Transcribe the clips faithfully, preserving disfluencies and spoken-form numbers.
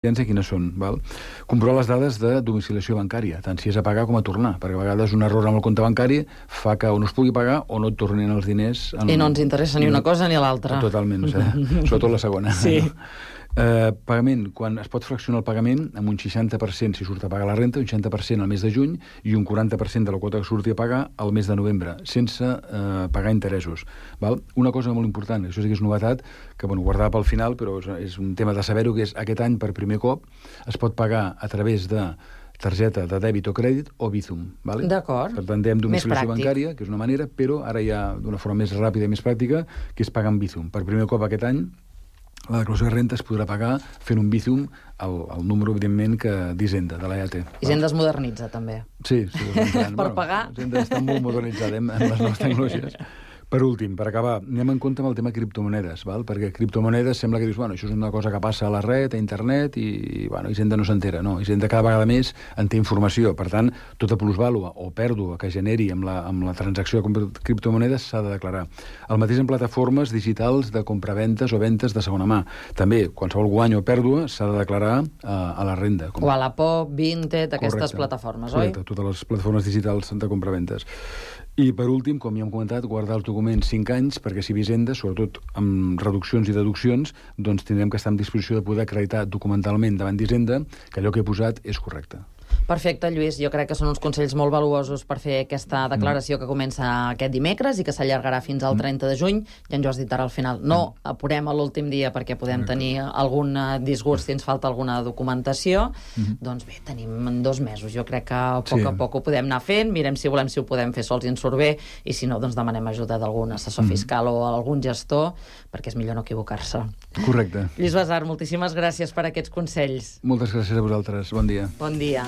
quines són, val? Comprovar les dades de domiciliació bancària, tant si és a pagar com a tornar, perquè a vegades un error amb el compte bancari fa que o no es pugui pagar o no et tornin els diners. En... I no ens interessa ni una cosa ni l'altra. Totalment, o sigui, sobretot la segona. Sí. Eh, pagament, quan es pot fraccionar el pagament amb un seixanta per cent si surt a pagar la renta, un seixanta per cent al mes de juny i un quaranta per cent de la quota que surti a pagar al mes de novembre, sense eh, pagar interessos. Val? Una cosa molt important, això sí que és novetat, que bueno, guardava pel final, però és, és un tema de saber-ho, que és aquest any per primer cop es pot pagar a través de targeta de dèbit o crèdit o Bizum. Vale? D'acord. Per tant, dèiem domiciliació bancària, que és una manera, però ara hi ha d'una forma més ràpida i més pràctica, que és pagar amb Bizum. Per primer cop aquest any, la declaració de renta es podrà pagar fent un Bizum al, al número, evidentment, que d'Hisenda, de l'E A T. Hisenda es modernitza, també. Sí, sí. Per bueno, pagar. Hisenda està molt modernitzada en les noves tecnologies. Per últim, per acabar, anem en compte amb el tema criptomonedes, val? Perquè criptomonedes sembla que dius, bueno, això és una cosa que passa a la red, a internet, i, bueno, Hisenda no s'entera. No, Hisenda cada vegada més en té informació. Per tant, tota plusvàlua o pèrdua que generi amb la, amb la transacció de criptomonedes s'ha de declarar. El mateix en plataformes digitals de compraventes o ventes de segona mà. També, qualsevol guany o pèrdua s'ha de declarar a, a la renda. Com... O a la P O, Vinted, aquestes Correcte. plataformes, oi? Correcte, totes les plataformes digitals de compraventes. I, per últim, com ja hem comentat, guardar els documents cinc anys, perquè si Hisenda, sobretot amb reduccions i deduccions, doncs tindrem que estar en disposició de poder acreditar documentalment davant d'Hisenda que allò que he posat és correcte. Perfecte, Lluís. Jo crec que són uns consells molt valuosos per fer aquesta declaració que comença aquest dimecres i que s'allargarà fins al trenta de juny. Ja ens ho has dit ara al final. No apurem a l'últim dia perquè podem tenir algun disgust si ens falta alguna documentació. Mm-hmm. Doncs bé, tenim dos mesos. Jo crec que a poc sí. a poc ho podem anar fent. Mirem si volem si ho podem fer sols i ens surt bé, i si no, doncs demanem ajuda d'algun assessor mm-hmm. fiscal o algun gestor, perquè és millor no equivocar-se. Correcte. Lluís Basar, moltíssimes gràcies per aquests consells. Moltes gràcies a vosaltres. Bon dia. Bon dia.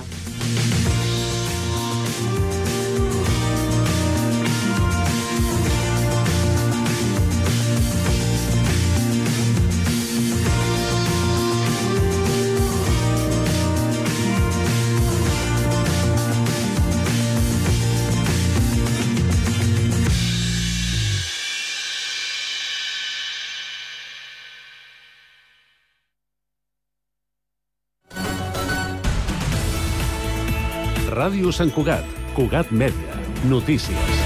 Ràdio Sant Cugat, Cugat Mèdia, notícies.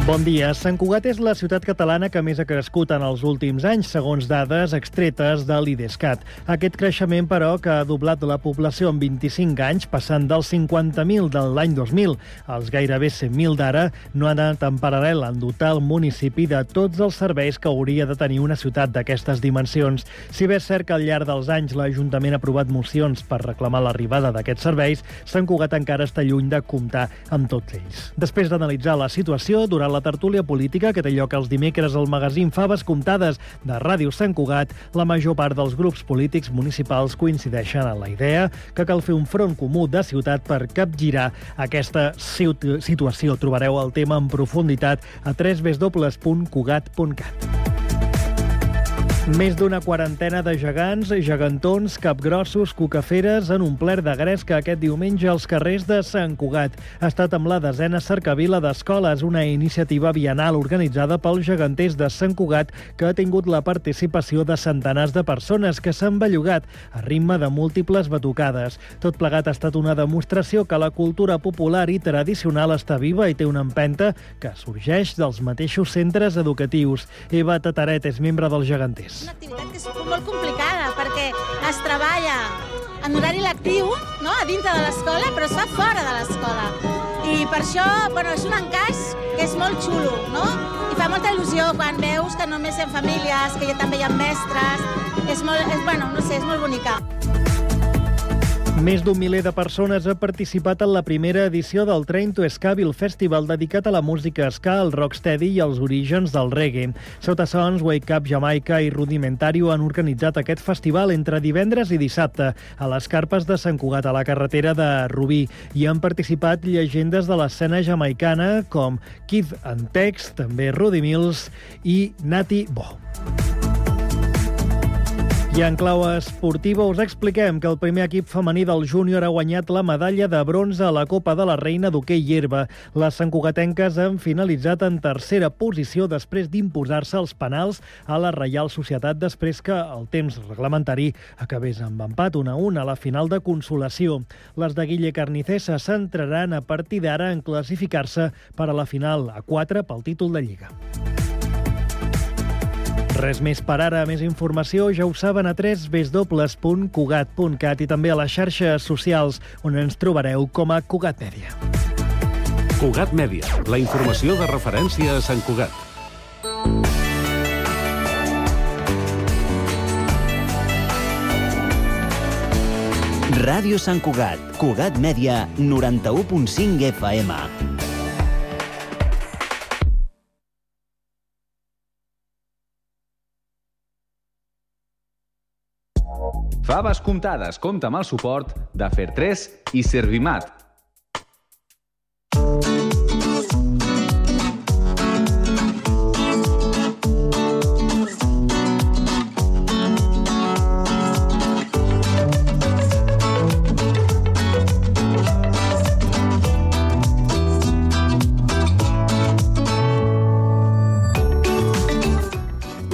Bon dia. Sant Cugat és la ciutat catalana que més ha crescut en els últims anys, segons dades extretes de l'Idescat. Aquest creixement, però, que ha doblat la població en vint-i-cinc anys, passant dels cinquanta mil de l'any dos mil als gairebé cent mil d'ara, no ha anat en paral·lel en dotar el municipi de tots els serveis que hauria de tenir una ciutat d'aquestes dimensions. Si bé és cert que al llarg dels anys l'Ajuntament ha aprovat mocions per reclamar l'arribada d'aquests serveis, Sant Cugat encara està lluny de comptar amb tots ells. Després d'analitzar la situació, durant la tertúlia política que té lloc els dimecres al magazín Faves Comptades de Ràdio Sant Cugat, la major part dels grups polítics municipals coincideixen en la idea que cal fer un front comú de ciutat per capgirar aquesta situació. Trobareu el tema en profunditat a w w w punt cugat punt cat. Més d'una quarantena de gegants, gegantons, capgrossos, cucaferes han omplert de gresca aquest diumenge als carrers de Sant Cugat. Ha estat amb la desena cercavila d'escoles, una iniciativa bienal organitzada pels geganters de Sant Cugat que ha tingut la participació de centenars de persones que s'han bellugat a ritme de múltiples batucades. Tot plegat ha estat una demostració que la cultura popular i tradicional està viva i té una empenta que sorgeix dels mateixos centres educatius. Eva Tataret és membre dels geganters. És una activitat que és molt complicada perquè es treballa en horari lectiu, no?, a dintre de l'escola, però es fa fora de l'escola. I per això, bueno, és un encaix que és molt xulo, no? I fa molta il·lusió quan veus que només hi ha famílies, que ja també hi ha mestres. És molt, és, bueno, no sé, és molt bonica. Més d'un miler de persones ha participat en la primera edició del Train to Ska-ville Festival dedicat a la música ska, el rocksteady i els orígens del reggae. Sota Sons, Wake Up Jamaica i Rudimentario han organitzat aquest festival entre divendres i dissabte a les carpes de Sant Cugat, a la carretera de Rubí. Hi han participat llegendes de l'escena jamaicana com Kid and Tex, també Rudy Mills i Natty Bo. I en clau esportiva us expliquem que el primer equip femení del júnior ha guanyat la medalla de bronze a la Copa de la Reina d'hoquei herba. Les santcugatenques han finalitzat en tercera posició després d'imposar-se els penals a la Reial Societat després que el temps reglamentari acabés amb empat un a un a la final de consolació. Les de Guille Carnicer se centraran a partir d'ara en classificar-se per a la final a quatre pel títol de Lliga. Res més per ara. Més informació ja ho saben a w w w punt cugat punt cat i també a les xarxes socials, on ens trobareu com a Cugat Mèdia. Cugat Mèdia, la informació de referència a Sant Cugat. Ràdio Sant Cugat, Cugat Mèdia, noranta-u punt cinc F M. Faves comptades compta amb el suport de Fertres i Servimat.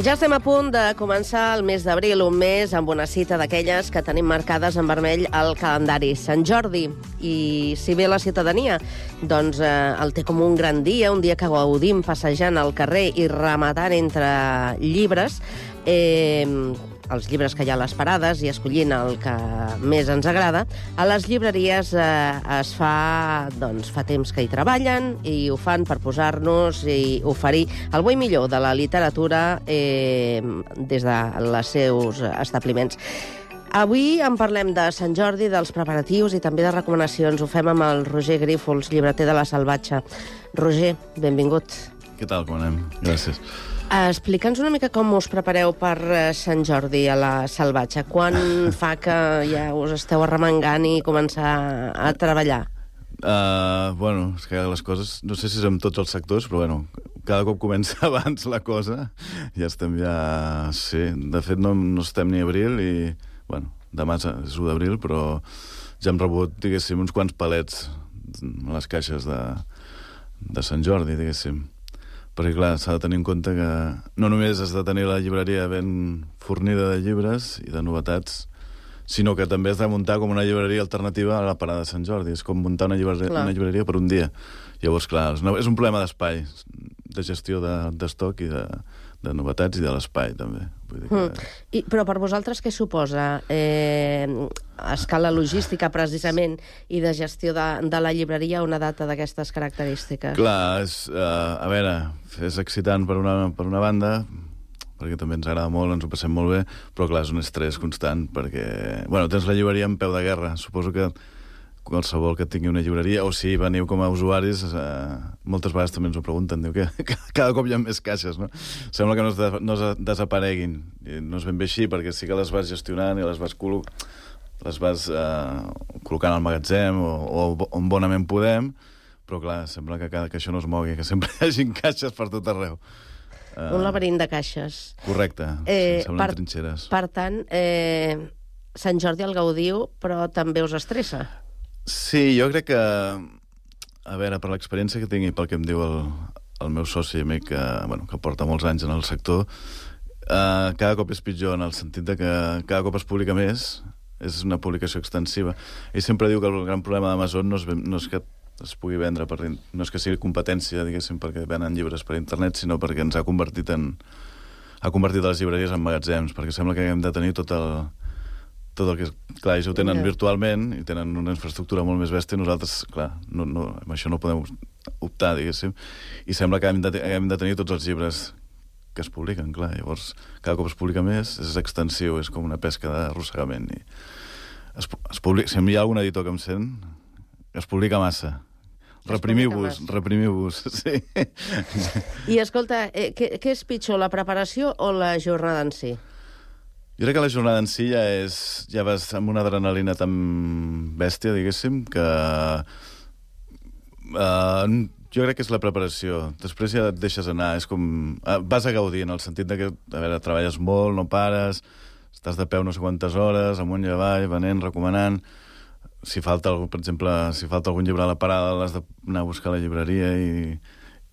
Ja estem a punt de començar el mes d'abril, un mes amb una cita d'aquelles que tenim marcades en vermell al calendari, Sant Jordi. I si bé la ciutadania doncs, eh, el té com un gran dia, un dia que gaudim passejant al carrer i rematant entre llibres, eh, els llibres que hi ha a les parades i escollint el que més ens agrada, a les llibreries eh, es fa, doncs, fa temps que hi treballen i ho fan per posar-nos i oferir el bo i millor de la literatura eh, des dels seus establiments. Avui en parlem de Sant Jordi, dels preparatius i també de recomanacions. Ho fem amb el Roger Grífols, llibreter de La Salvatge. Roger, benvingut. Què tal, com anem? Gràcies. Explica'ns una mica com us prepareu per Sant Jordi a La Salvatge. Quan fa que ja us esteu arremangant i començar a treballar? Uh, bueno, és que les coses, no sé si és amb tots els sectors, però bueno, cada cop comença abans la cosa. Ja estem ja... Sí, de fet no, no estem ni a abril i, bueno, demà és u d'abril, però ja hem rebut, diguéssim, uns quants palets a les caixes de, de Sant Jordi, diguéssim. Perquè, clar, s'ha de tenir en compte que no només has de tenir la llibreria ben fornida de llibres i de novetats, sinó que també has de muntar com una llibreria alternativa a la parada de Sant Jordi. És com muntar una llibreria, una llibreria per un dia. Llavors, clar, és un problema d'espai, de gestió d'estoc de, i de, de novetats i de l'espai, també. Vull dir que... mm. I, però per vosaltres què suposa eh, a escala logística, precisament, i de gestió de, de la llibreria una data d'aquestes característiques? Clar, és, uh, a veure, és excitant per una, per una banda, perquè també ens agrada molt, ens ho passem molt bé, però clar, és un estrès constant, perquè... Bueno, tens la llibreria en peu de guerra. Suposo que qualsevol que tingui una llibreria, o si veniu com a usuaris, eh, moltes vegades també ens ho pregunten, diu que cada cop hi ha més caixes, no? Sembla que no es, de, no es desapareguin. I no és ben bé així, perquè sí que les vas gestionant i les vas, col les vas eh, col·locant al magatzem o, o on bonament podem, però clar, sembla que, cada, que això no es mogui, que sempre hi hagi caixes per tot arreu. Uh, un laberint de caixes. Correcte, eh, semblen per, trinxeres. Per tant, eh, Sant Jordi el gaudiu, però també us estressa. Sí, jo crec que, a veure, per l'experiència que tingui, pel que em diu el, el meu soci amic, que, bueno, que porta molts anys en el sector, eh, cada cop és pitjor en el sentit de que cada cop es publica més, és una publicació extensiva. Ell sempre diu que el gran problema d'Amazon no, és, no és que es pugui vendre, per, no és que sigui competència, diguéssim, perquè venen llibres per internet, sinó perquè ens ha convertit en... ha convertit les llibreries en magatzems, perquè sembla que hem de tenir tot el... tot el que... Clar, ells ho tenen yeah. virtualment i tenen una infraestructura molt més bèstia i nosaltres, clar, no, no, amb això no podem optar, diguéssim, i sembla que hem de, hem de tenir tots els llibres que es publiquen, clar, llavors cada cop es publica més, és extensiu, és com una pesca d'arrossegament i es, es publica, si hi ha algun editor que em sent, es publica massa. Reprimiu-vos, reprimiu-vos, sí. I escolta, eh, què, què és pitjor, la preparació o la jornada en si? Jo crec que la jornada en si ja és... ja vas amb una adrenalina tan bèstia, diguéssim, que... Uh, jo crec que és la preparació. Després ja et deixes anar, és com... Uh, vas a gaudir, en el sentit de que, a veure, treballes molt, no pares, estàs de peu no sé quantes hores, amunt i avall, venent, recomanant. Si falta, per exemple, si falta algun llibre a la parada, l'has d'anar a buscar a la llibreria i,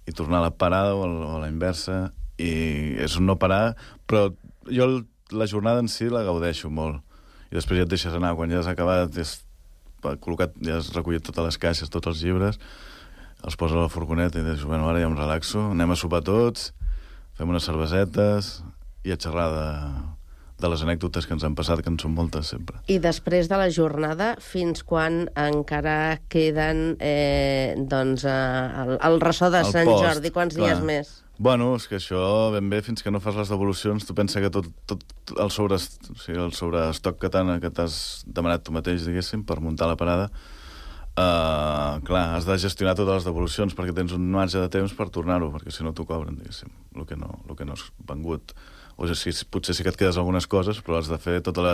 i tornar a la parada o a la inversa. I és un no parar, però jo la jornada en si la gaudeixo molt. I després ja et deixes anar. Quan ja has acabat, ja has, col·locat, ja has recollit totes les caixes, tots els llibres, els posa a la furgoneta i dius, bueno, ara ja em relaxo, anem a sopar tots, fem unes cervesetes i a xerrar de, de les anècdotes que ens han passat, que en són moltes sempre. I després de la jornada, fins quan encara queden eh, doncs, eh, el, el ressò de el Sant post, Jordi? Quants clar. dies més? Bueno, és que això ben bé, fins que no fas les devolucions, tu pensa que tot, tot el, sobre, o sigui, el sobreestoc que t'has demanat tu mateix, diguéssim, per muntar la parada, Uh, clar, has de gestionar totes les devolucions perquè tens un marge de temps per tornar-ho, perquè si no t'ho cobren, diguéssim, el que no, el que no has vengut. O sigui, potser sí que et quedes algunes coses, però has de fer tota la,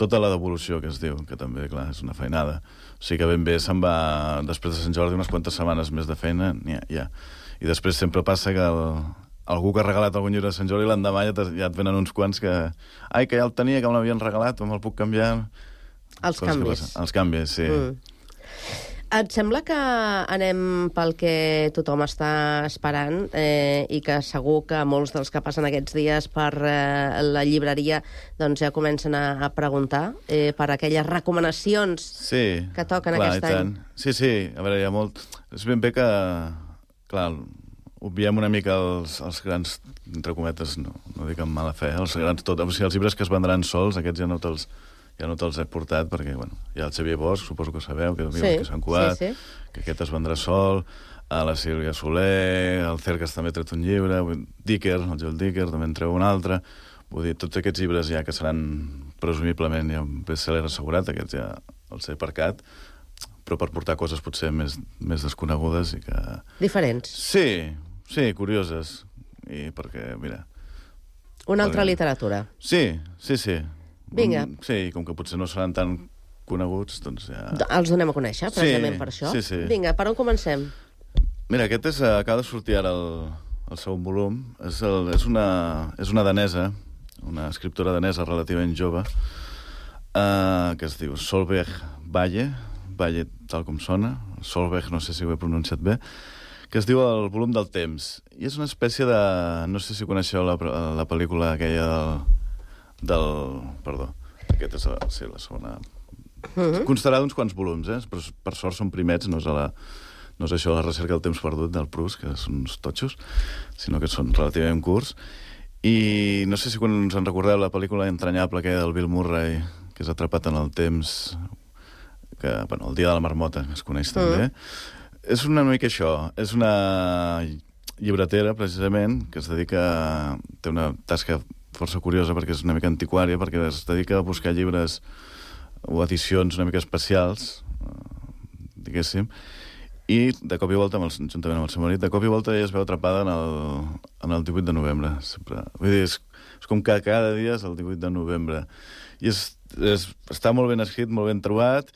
tota la devolució, que es diu, que també, clar, és una feinada. O sigui que ben bé se'n va, després de Sant Jordi, unes quantes setmanes més de feina, ja, ja. I després sempre passa que el, algú que ha regalat algun llibre de Sant Jordi, l'endemà ja, ja et venen uns quants que... Ai, que ja el tenia, que me l'havien regalat, o me'l puc canviar... Els canvis. Els canvis, sí. Mm. Et sembla que anem pel que tothom està esperant eh, i que segur que molts dels que passen aquests dies per eh, la llibreria doncs ja comencen a, a preguntar eh, per aquelles recomanacions sí, que toquen clar, aquest any? Sí, sí, a veure, hi ha molt... És ben bé que, clar, obviem una mica els, els grans, entre cometes, no, no dic amb mala fe, els grans tot, o sigui, els llibres que es vendran sols, aquests ja no te'ls ja no te'ls he portat, perquè, bueno, hi ha el Xavier Bosch, suposo que sabeu, que, sí, que Sant Cugat, sí, sí. que aquest es vendrà sol, a la Sílvia Soler, el Cercas també ha tret un llibre, Dicker, el Joel Dicker, també en treu un altre, vull dir, tots aquests llibres ja que seran presumiblement ja un best-seller assegurat, aquests ja els he aparcat, però per portar coses potser més, més desconegudes i que... Diferents. Sí, sí, curioses, i perquè, mira... Una altra perquè... literatura. Sí, sí, sí. Vinga. Sí, com que potser no seran tan coneguts, doncs ja... Els donem a conèixer, precisament sí, per això. Sí, sí. Vinga, per on comencem? Mira, aquest és, acaba de sortir ara el, el segon volum. És, el, és, una, és una danesa, una escriptora danesa relativament jove, uh, que es diu Solveig Valle, Valle tal com sona, Solveig, no sé si ho he pronunciat bé, que es diu El volum del temps. I és una espècie de... No sé si coneixeu la, la pel·lícula aquella del... del... Perdó, aquesta és la, sí, la segona... Uh-huh. Constarà d'uns quants volums, eh? Però per sort són primets, no és, a la, no és això la recerca del temps perdut del Proust, que són uns totxos, sinó que són relativament curts. I no sé si quan us en recordeu la pel·lícula entranyable aquella del Bill Murray, que és atrapat en el temps, que, bueno, el dia de la marmota, que es coneix uh-huh. també. És una mica això, és una llibretera, precisament, que es dedica... té una tasca força curiosa perquè és una mica antiquària, perquè es dedica a buscar llibres o edicions una mica especials, diguéssim, i de cop i volta, amb el, juntament amb el seu marit, de cop i volta ella es veu atrapada en el, en el divuit de novembre. Sempre. Vull dir, és, és com que cada dia és el divuit de novembre. I és, és, està molt ben escrit, molt ben trobat,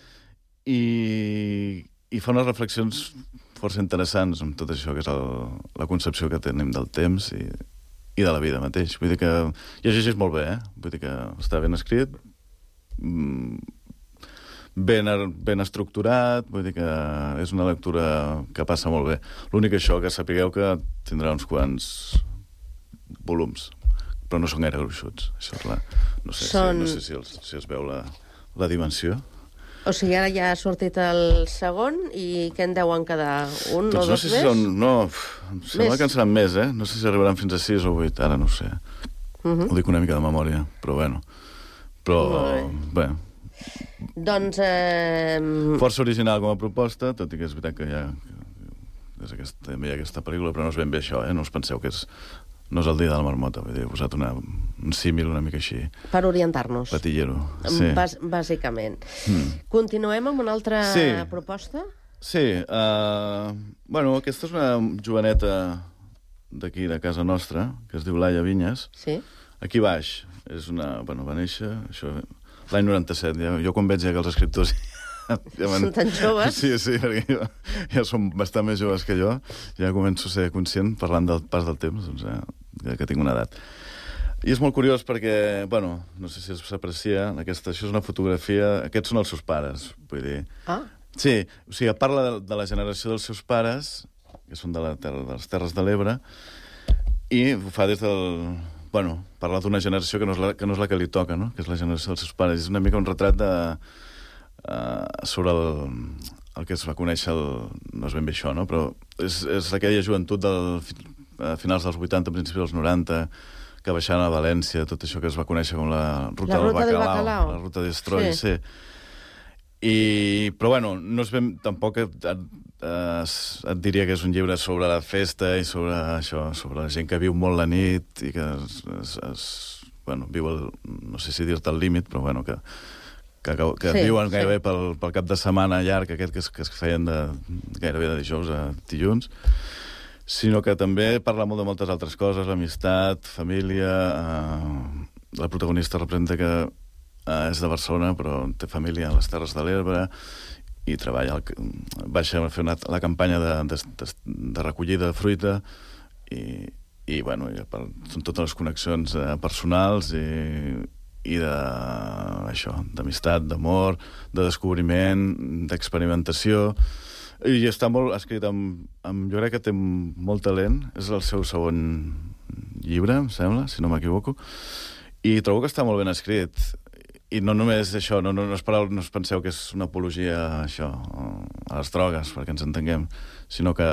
i, i fa unes reflexions força interessants amb tot això, que és el, la concepció que tenim del temps i i de la vida mateix. Vull dir que... I això és molt bé, eh? Vull dir que està ben escrit, ben, ben estructurat, vull dir que és una lectura que passa molt bé. L'únic això, que sapigueu que tindrà uns quants volums, però no són gaire gruixuts. Això és la... No sé, són... si, no sé si, els, si es veu la, la dimensió. O sigui, ara ja ha sortit el segon i què en deuen quedar? Un doncs o dos no sé més? Si són, no, em sembla més? Que en seran més, eh? No sé si arribaran fins a sis o vuit, ara no ho sé. Uh-huh. Ho dic una mica de memòria, però bueno. Però, bé... Doncs... Eh... Força original com a proposta, tot i que és veritat que hi ha... És aquest, també hi ha aquesta pel·lícula, però no és ben bé això, eh? No us penseu que és... No és el dia de la marmota, vull dir, he posat una, un símil una mica així. Per orientar-nos. Patillero, sí. Bàs, bàsicament. Mm. Continuem amb una altra sí. proposta? Sí. Uh, bueno, aquesta és una joveneta d'aquí, de casa nostra, que es diu Laia Vinyes. Sí. Aquí baix. És una... Bueno, va néixer... Això, l'any noranta-set. Ja, jo quan veig ja que els escriptors... Ja són tan joves? Sí, sí, perquè jo, ja són bastant més joves que jo. Ja començo a ser conscient, parlant del pas del temps, doncs ja, ja que tinc una edat. I és molt curiós perquè, bueno, no sé si s'aprecia, aquesta, això és una fotografia... Aquests són els seus pares, vull dir. Ah. Sí, o sigui, parla de, de la generació dels seus pares, que són de, la terra, de les Terres de l'Ebre, i ho fa des del... Bueno, parla d'una generació que no, és la, que no és la que li toca, no? Que és la generació dels seus pares. És una mica un retrat de... Uh, sobre el, el que es va conèixer... El, no és ben bé això, no? Però és, és aquella joventut del, a finals dels vuitanta, principis dels noranta, que baixant a València, tot això que es va conèixer com la ruta, la ruta del, del Bacalao, Bacalao. la ruta d'Estroi, sí. sí. I, però, bueno, no és ben... Tampoc et, et, et diria que és un llibre sobre la festa i sobre això, sobre la gent que viu molt la nit i que es, es, es, bueno, viu el... No sé si dir-te el límit, però, bueno, que, que, que sí, viuen gairebé sí. pel, pel cap de setmana llarg, aquest que es, que es feien de, gairebé de dijous a dilluns, sinó que també parla molt de moltes altres coses, l'amistat, família... Eh, la protagonista representa que eh, és de Barcelona, però té família a les Terres de l'Ebre i treballa... El, baixa a fer una, la campanya de, de, de, de recollida de fruita i, i bueno, i per, són totes les connexions eh, personals i, i de, això, d'amistat, d'amor, de descobriment, d'experimentació... I està molt escrit amb, amb... Jo crec que té molt talent. És el seu segon llibre, em sembla, si no m'equivoco. I trobo que està molt ben escrit. I no només això, no, no, no, espereu, no us penseu que és una apologia això, a les drogues, perquè ens entenguem, sinó que...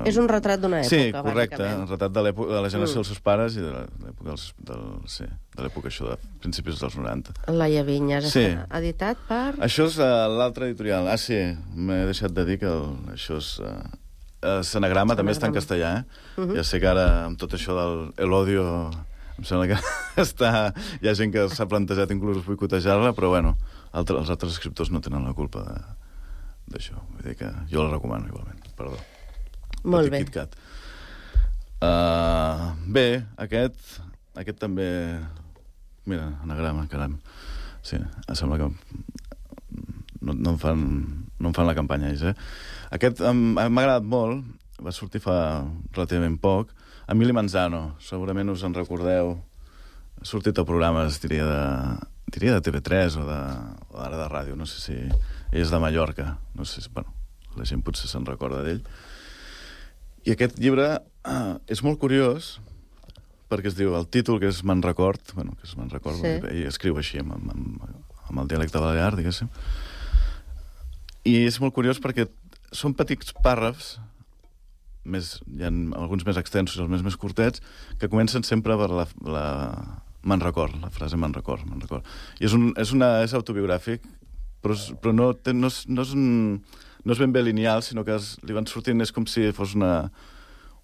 És un retrat d'una època, sí, correcte, bàsicament. un retrat de, de la generació mm. dels seus pares i de l'època dels, del, sí, de l'època això de principis dels noranta. Laia Vinyes, sí. Està editat per... Això és uh, l'altre editorial. Ah, sí, m'he deixat de dir que el, això és... Uh, uh, Senagrama també està en castellà, eh? Uh -huh. Ja sé que ara, amb tot això del el odio... Em sembla que està... hi ha gent que s'ha plantejat inclús boicotejar-la, però, bueno, altre, els altres escriptors no tenen la culpa d'això. Vull dir que jo la recomano, igualment. Perdó. Molt bé. Uh, bé, aquest... Aquest també... Mira, anagrama, caram. Sí, em sembla que... No, no, em fan, no em fan la campanya, ells, eh? Aquest m'ha agradat molt. Va sortir fa relativament poc. Emili Manzano, segurament us en recordeu. Ha sortit a programes, diria, de, diria de T V tres o, de, o ara de ràdio. No sé si... Ell és de Mallorca. No sé si... Bueno, la gent potser se'n recorda d'ell. I aquest llibre ah, és molt curiós perquè es diu, el títol, que és Me'n record, bueno, que és Me'n record, sí. Ell escriu així, amb, amb, amb el dialecte balear, diguéssim. I és molt curiós perquè són petits pàrrafs, més, hi ha alguns més extensos i els més, més curtets, que comencen sempre per la, la me'n record, la frase me'n record, me'n record. I és, un, és, una, és autobiogràfic, però, però no, té, no, és, no, és un, no és ben bé lineal, sinó que es, li van sortint, és com si fos una,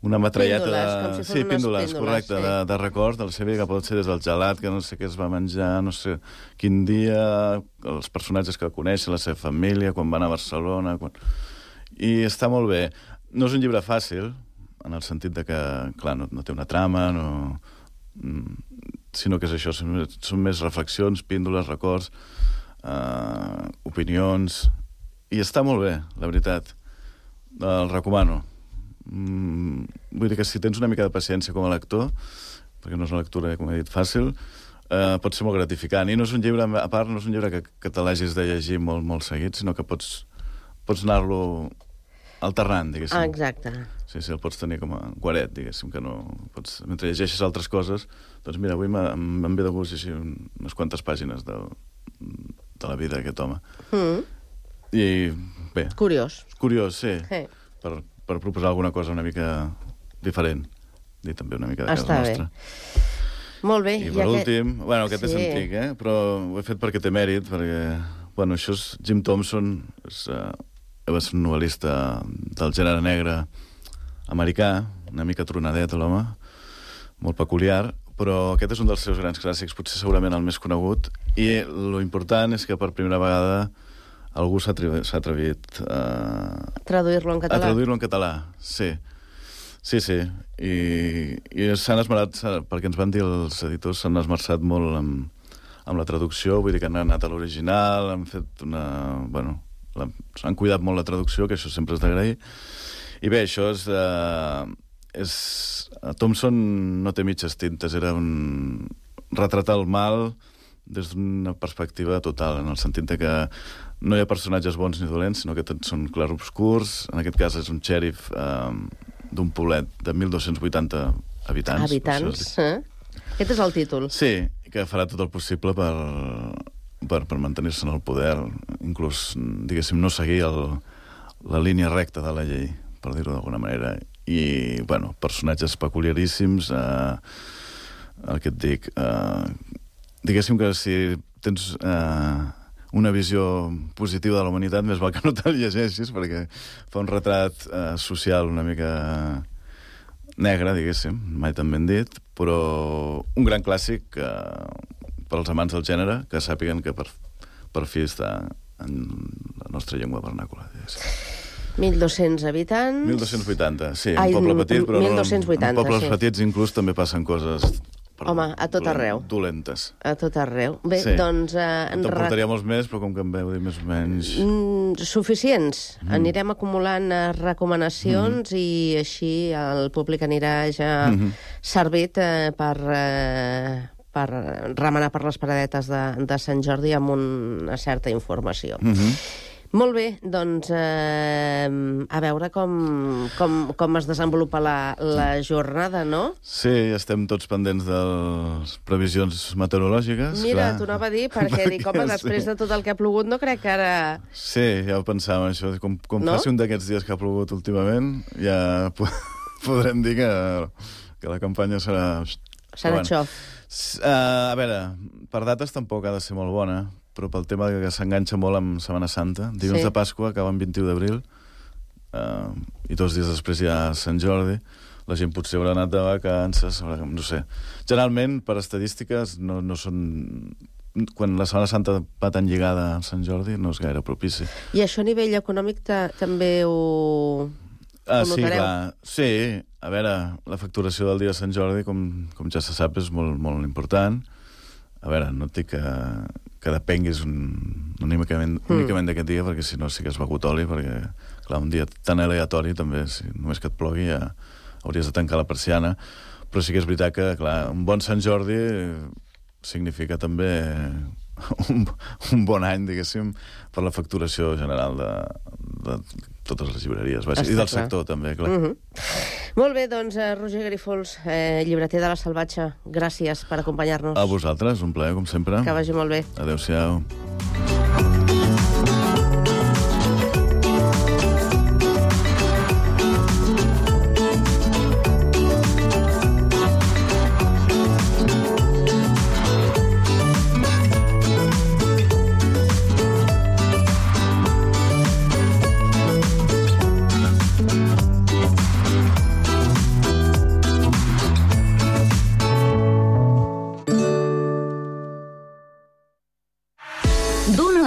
una metralleta píndoles, de... com si sí, píndoles, píndoles, correcte, sí. de, de record del seu vida, que pot ser des del gelat, que no sé què es va menjar, no sé quin dia, els personatges que coneixen, la seva família, quan van a Barcelona... Quan... I està molt bé. No és un llibre fàcil, en el sentit de que, clar, no, no té una trama, no... sinó que és això, són, són més reflexions, píndoles, records, eh, opinions... I està molt bé, la veritat. El recomano. Mm, vull dir que si tens una mica de paciència com a lector, perquè no és una lectura, com he dit, fàcil, eh, pot ser molt gratificant. I no és un llibre, a part, no és un llibre que, que te l'hagis de llegir molt, molt seguit, sinó que pots, pots anar-lo alternant, diguéssim. Ah, exacte. Sí, sí, el pots tenir com a guaret, diguéssim, que no... Pots, mentre llegeixes altres coses, doncs mira, avui em ve de gust llegir unes quantes pàgines de, de la vida d'aquest home. Mm. I, bé... Curiós. Curiós, sí. Sí. Per, per proposar alguna cosa una mica diferent. I també una mica de casa Està nostra. Bé. Molt bé. I per I últim... Aquest... Bueno, aquest sí. és antic, eh? Però ho he fet perquè té mèrit, perquè... Bueno, això és Jim Thompson, és... Uh, va ser un novel·lista del gènere negre americà, una mica tronadet, l'home, molt peculiar, però aquest és un dels seus grans clàssics, potser segurament el més conegut, i lo important és que per primera vegada algú s'ha atrevit, atrevit a... Traduir-lo en català. A traduir-lo en català, sí. Sí, sí. I, i s'han esmerat, perquè ens van dir els editors, s'han esmerçat molt amb, amb la traducció, vull dir que han anat a l'original, han fet una... Bueno, la, han cuidat molt la traducció, que això sempre és d'agrair. I bé, això és... Eh, és Thompson no té mitges tintes, era un, retratar el mal des d'una perspectiva total, en el sentit que no hi ha personatges bons ni dolents, sinó que tots són clarobscurs. En aquest cas és un xèrif eh, d'un poblet de mil dos-cents vuitanta habitants. Habitants, eh? Aquest és el títol. Sí, que farà tot el possible per, per, per mantenir-se en el poder, inclús, diguéssim, no seguir el, la línia recta de la llei, per dir-ho d'alguna manera. I, bueno, personatges peculiaríssims, eh, el que et dic, eh, diguéssim que si tens eh, una visió positiva de la humanitat, més val que no te'l llegeixis, perquè fa un retrat eh, social una mica negre, diguéssim, mai tan ben dit, però un gran clàssic eh, per als amants del gènere, que sàpiguen que per, per fi està en la nostra llengua vernàcula, diguéssim. mil dos-cents habitants... mil dos-cents vuitanta, sí, Ai, un poble petit, però mil dos-cents vuitanta, en pobles sí. petits inclús també passen coses... Perdó, Home, a tot arreu. Dolentes. A tot arreu. Bé, sí. doncs... Eh, Te'n portaria molts més, però com que em veu dir més o menys... Mm, suficients. Mm. Anirem acumulant eh, recomanacions mm. i així el públic anirà ja mm -hmm. servit eh, per... Eh, per remenar per les paradetes de, de Sant Jordi amb una certa informació. Mm -hmm. Molt bé, doncs eh, a veure com, com, com es desenvolupa la, la jornada, no? Sí, estem tots pendents de les previsions meteorològiques. Mira, clar. t'ho anava a dir, perquè, perquè dic, home, després sí. de tot el que ha plogut, no crec que ara... Sí, ja ho pensàvem, això. Com, com no? faci un d'aquests dies que ha plogut últimament, ja podrem dir que, que la campanya serà... Serà bueno. xof. Uh, a veure, per dates tampoc ha de ser molt bona, però pel tema que s'enganxa molt amb Setmana Santa. Dilluns sí. de Pasqua acaba el vint-i-u d'abril uh, i dos dies després hi ha Sant Jordi. La gent potser haurà anat de vacances, no sé. Generalment, per estadístiques, no, no són... Quan la Setmana Santa va tan lligada a Sant Jordi, no és gaire propici. I això a nivell econòmic també ho... Ah, sí, clar. Sí, a veure, la facturació del dia de Sant Jordi, com, com ja se sap, és molt, molt important. A veure, no et dic que, que depenguis un, únicament, mm. únicament d'aquest dia, perquè si no sí que has begut oli, perquè, clar, un dia tan aleatori també, si només que et plogui ja hauries de tancar la persiana. Però sí que és veritat que, clar, un bon Sant Jordi significa també un, un bon any, diguéssim, per la facturació general de, de totes les llibreries, vaja, i del clar. sector també, clar. Mm -hmm. Molt bé, doncs, eh, Roger Grifols, eh, llibreter de La Salvatge, gràcies per acompanyar-nos. A vosaltres, un plaer, com sempre. Que vagi molt bé. Adéu-siau.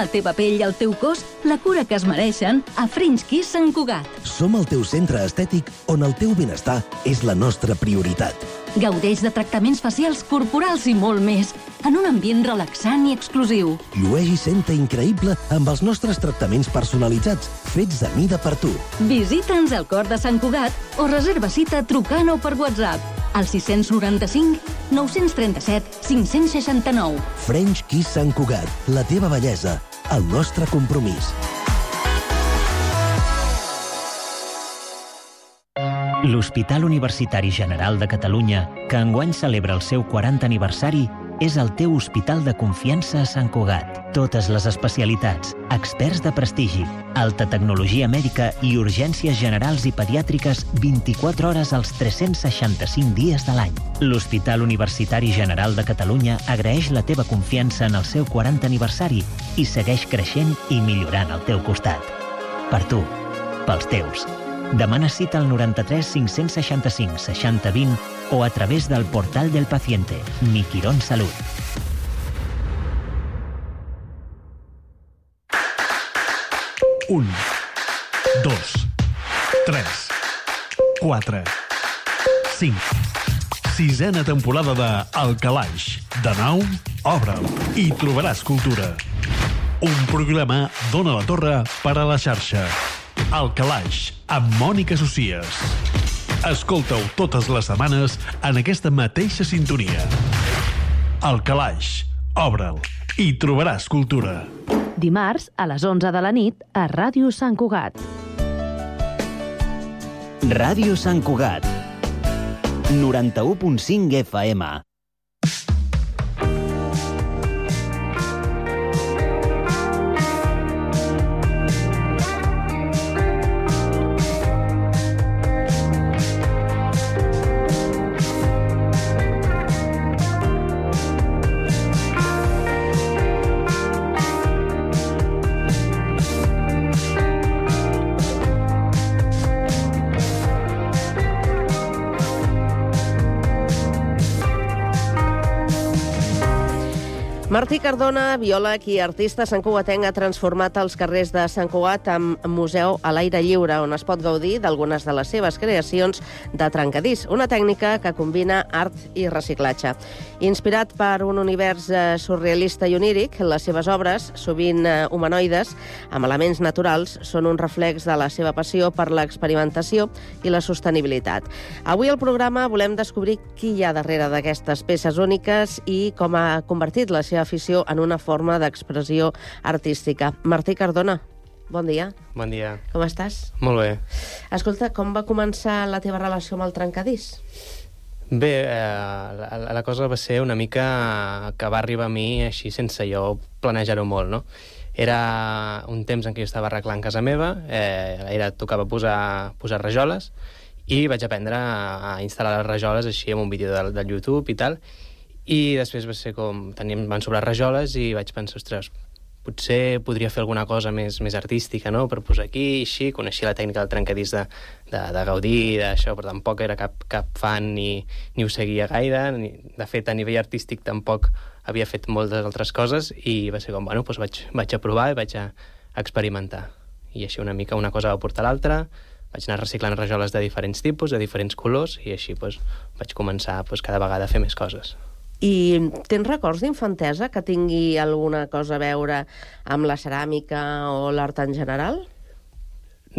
la teva pell i el teu cos la cura que es mereixen a French Kiss Sant Cugat. Som el teu centre estètic on el teu benestar és la nostra prioritat. Gaudeix de tractaments facials, corporals i molt més, en un ambient relaxant i exclusiu. Llueix i senta increïble amb els nostres tractaments personalitzats, fets a mida per tu. Visita'ns al cor de Sant Cugat o reserva cita trucant o per WhatsApp al sis noranta-cinc nou-cents trenta-set cinc-cents seixanta-nou. French Kiss Sant Cugat, la teva bellesa, el nostre compromís. L'Hospital Universitari General de Catalunya, que enguany celebra el seu quaranta aniversari, és el teu hospital de confiança a Sant Cugat. Totes les especialitats, experts de prestigi, alta tecnologia mèdica i urgències generals i pediàtriques vint-i-quatre hores als tres-cents seixanta-cinc dies de l'any. L'Hospital Universitari General de Catalunya agraeix la teva confiança en el seu quaranta aniversari i segueix creixent i millorant al teu costat. Per tu, pels teus. Demana cita al noranta-tres cinc-cents seixanta-cinc seixanta vint o a través del portal del paciente, Mi Quirón Salut. Un, dos, tres, quatre, cinc. Sisena temporada de El Calaix. De nou, obre'l i trobaràs cultura. Un programa d'Ona la Torre per a la xarxa. El Calaix, amb Mònica Socies. Escolta-ho totes les setmanes en aquesta mateixa sintonia. El Calaix. Obre'l i trobaràs cultura. Dimarts, a les onze de la nit, a Ràdio Sant Cugat. Ràdio Sant Cugat. noranta-u punt cinc F M. Martí Cardona, biòleg i artista santcugatenc, ha transformat els carrers de Sant Cugat en museu a l'aire lliure, on es pot gaudir d'algunes de les seves creacions de trencadís, una tècnica que combina art i reciclatge. Inspirat per un univers surrealista i oníric, les seves obres, sovint humanoides, amb elements naturals, són un reflex de la seva passió per l'experimentació i la sostenibilitat. Avui al programa volem descobrir qui hi ha darrere d'aquestes peces úniques i com ha convertit la seva afició en una forma d'expressió artística. Martí Cardona, bon dia. Bon dia. Com estàs? Molt bé. Escolta, com va començar la teva relació amb el trencadís? Bé, eh, la, la cosa va ser una mica que va arribar a mi així sense jo planejar-ho molt, no? Era un temps en què jo estava arreglant casa meva, eh, era, tocava posar, posar rajoles, i vaig aprendre a instal·lar les rajoles així amb un vídeo del, del YouTube i tal, i després va ser com, teníem, van sobrar rajoles i vaig pensar, ostres, potser podria fer alguna cosa més, més artística, no?, per posar aquí, així, coneixia la tècnica del trencadís de, de, de Gaudí, d'això, però tampoc era cap, cap fan ni, ni ho seguia gaire, ni, de fet, a nivell artístic tampoc havia fet moltes altres coses, i va ser com, bueno, doncs vaig, vaig a provar i vaig a experimentar. I així una mica una cosa va portar l'altra, vaig anar reciclant rajoles de diferents tipus, de diferents colors, i així doncs, vaig començar doncs, cada vegada a fer més coses. I tens records d'infantesa que tingui alguna cosa a veure amb la ceràmica o l'art en general?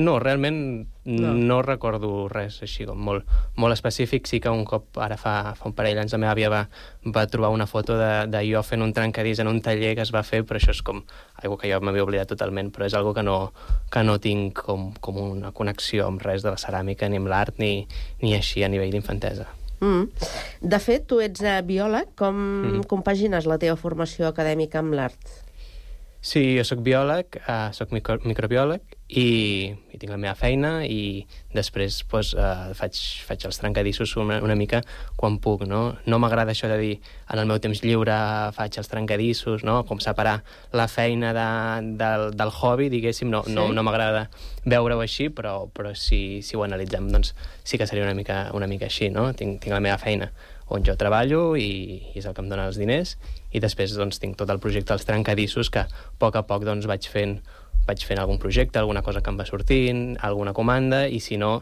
No, realment no, no recordo res així com molt, molt específic. Sí que un cop, ara fa, fa un parell d'anys, la meva àvia va, va trobar una foto de, de jo fent un trencadís en un taller que es va fer, però això és com algo que jo m'havia oblidat totalment, però és algo que no, que no tinc com, com una connexió amb res de la ceràmica, ni amb l'art, ni, ni així a nivell d'infantesa. Mm. De fet, tu ets uh, biòleg. Com mm. compagines la teva formació acadèmica amb l'art? Sí, jo soc biòleg, uh, soc micro microbiòleg i, i tinc la meva feina, i després pues, uh, faig, faig els trencadissos una, una mica quan puc, no? No m'agrada això de dir en el meu temps lliure faig els trencadissos, no? Com separar la feina de, del, del hobby, diguéssim, no, sí. no, no m'agrada veure-ho així, però, però si, si ho analitzem, doncs sí que seria una mica, una mica així, no? Tinc, tinc la meva feina on jo treballo i, i és el que em dona els diners, i després doncs, tinc tot el projecte dels trencadissos que a poc a poc doncs, vaig fent vaig fent algun projecte, alguna cosa que em va sortint, alguna comanda, i si no,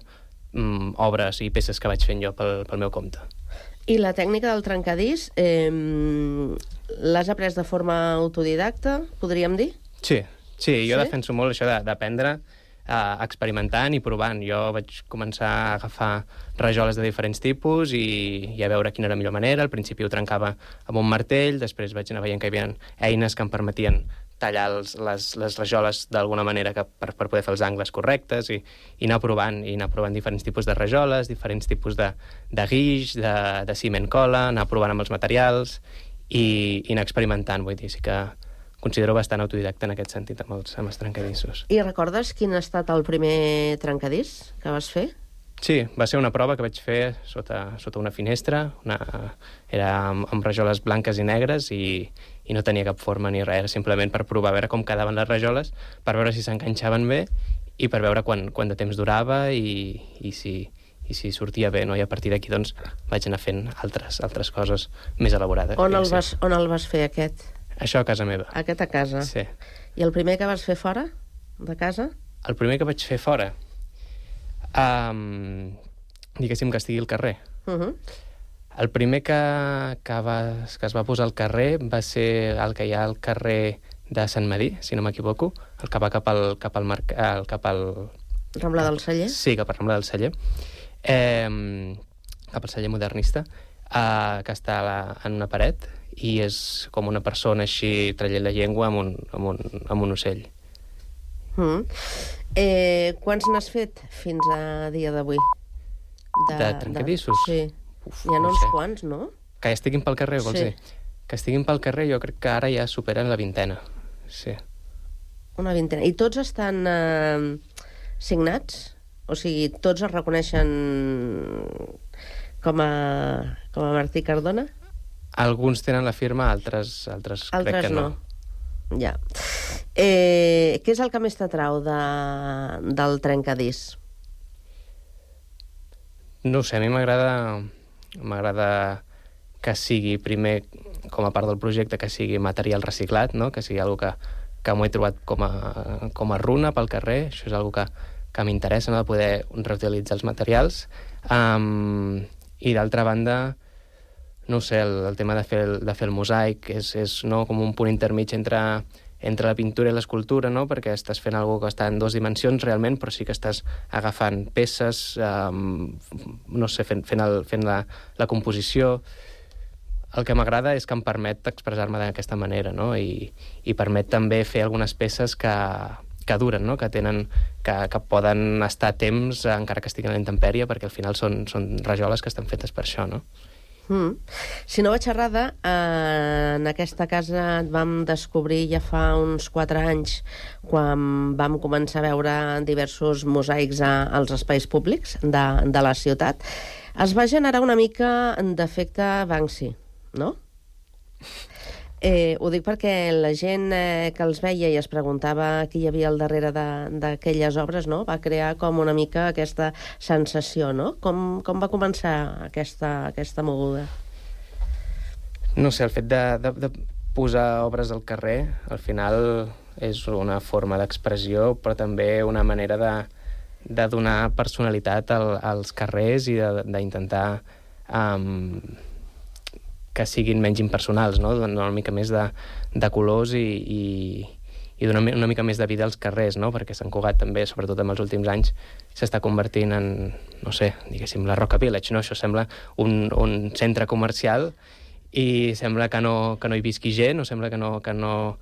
mm, obres i peces que vaig fent jo pel, pel meu compte. I la tècnica del trencadís, eh, l'has après de forma autodidacta, podríem dir? Sí, sí, jo sí? defenso molt això d'aprendre Uh, experimentant i provant. Jo vaig començar a agafar rajoles de diferents tipus i, i a veure quina era la millor manera. Al principi ho trencava amb un martell, després vaig anar veient que hi havia eines que em permetien tallar els, les, les rajoles d'alguna manera que, per, per poder fer els angles correctes, i, i anar provant, i anar provant diferents tipus de rajoles, diferents tipus de, de guix, de, de ciment cola, anar provant amb els materials i, i anar experimentant. Vull dir, sí que considero bastant autodidacta en aquest sentit amb els, amb els trencadissos. I recordes quin ha estat el primer trencadís que vas fer? Sí, va ser una prova que vaig fer sota, sota una finestra. Una, era amb, amb rajoles blanques i negres i, i no tenia cap forma ni res. Era simplement per provar a veure com quedaven les rajoles, per veure si s'enganxaven bé i per veure quant, quant de temps durava i, i, si, i si sortia bé, no? I a partir d'aquí doncs, vaig anar fent altres, altres coses més elaborades. On el, vas, on el vas fer, aquest? Això a casa meva. Aquest a casa? Sí. I el primer que vas fer fora de casa? El primer que vaig fer fora? Um, diguéssim que estigui al carrer. Uh -huh. El primer que, que, va, que es va posar al carrer va ser el que hi ha al carrer de Sant Madí, si no m'equivoco, el que va cap al, cap al, marc, el, cap al... Rambla del Celler? Sí, cap al Rambla del Celler. Eh, cap al Celler modernista, eh, que està la, en una paret, i és com una persona així traient la llengua amb un, amb un, amb un ocell. Mm. Eh, quants n'has fet fins a dia d'avui? De, de trencadissos? De... Sí. Uf, hi ha no uns sé. quants, no? Que estiguin pel carrer, vols sí. dir? Que estiguin pel carrer jo crec que ara ja superen la vintena. Sí. Una vintena. I tots estan eh, signats? O sigui, tots es reconeixen com a, com a Martí Cardona? Alguns tenen la firma, altres, altres, altres crec que no. no. Ja. Eh, què és el que més t'atrau de, del trencadís? No ho sé, a mi m'agrada m'agrada que sigui primer, com a part del projecte, que sigui material reciclat, no? Que sigui algo que, que m'ho he trobat com a, com a runa pel carrer. Això és algo que, que m'interessa, no? De poder reutilitzar els materials. Um, I d'altra banda, no sé, el, el tema de fer el, de fer el mosaic és, és no, com un punt intermig entre, entre la pintura i l'escultura, no? Perquè estàs fent algo que està en dues dimensions realment, però sí que estàs agafant peces, um, no sé, fent, fent, el, fent la, la composició. El que m'agrada és que em permet expressar-me d'aquesta manera, no? I, i permet també fer algunes peces que, que duren, no? Que tenen, que, que poden estar a temps encara que estiguin a la intempèrie, perquè al final són, són rajoles que estan fetes per això, no? Mm. Si no vaig errada, eh, en aquesta casa et vam descobrir ja fa uns quatre anys, quan vam començar a veure diversos mosaics a, als espais públics de, de la ciutat. Es va generar una mica d'efecte Banksy, no? Eh, ho dic perquè la gent eh, que els veia i es preguntava qui hi havia al darrere d'aquelles obres, no? Va crear com una mica aquesta sensació, no? Com, com va començar aquesta, aquesta moguda? No sé, el fet de, de, de posar obres al carrer, al final és una forma d'expressió, però també una manera de, de donar personalitat al, als carrers i d'intentar um, que siguin menys impersonals, no? Donar una mica més de, de colors i, i, i donar una mica més de vida als carrers, no? Perquè Sant Cugat també, sobretot en els últims anys, s'està convertint en, no sé, diguéssim, la Roca Village, no? Això sembla un, un centre comercial i sembla que no, que no hi visqui gent, o sembla que no, que no,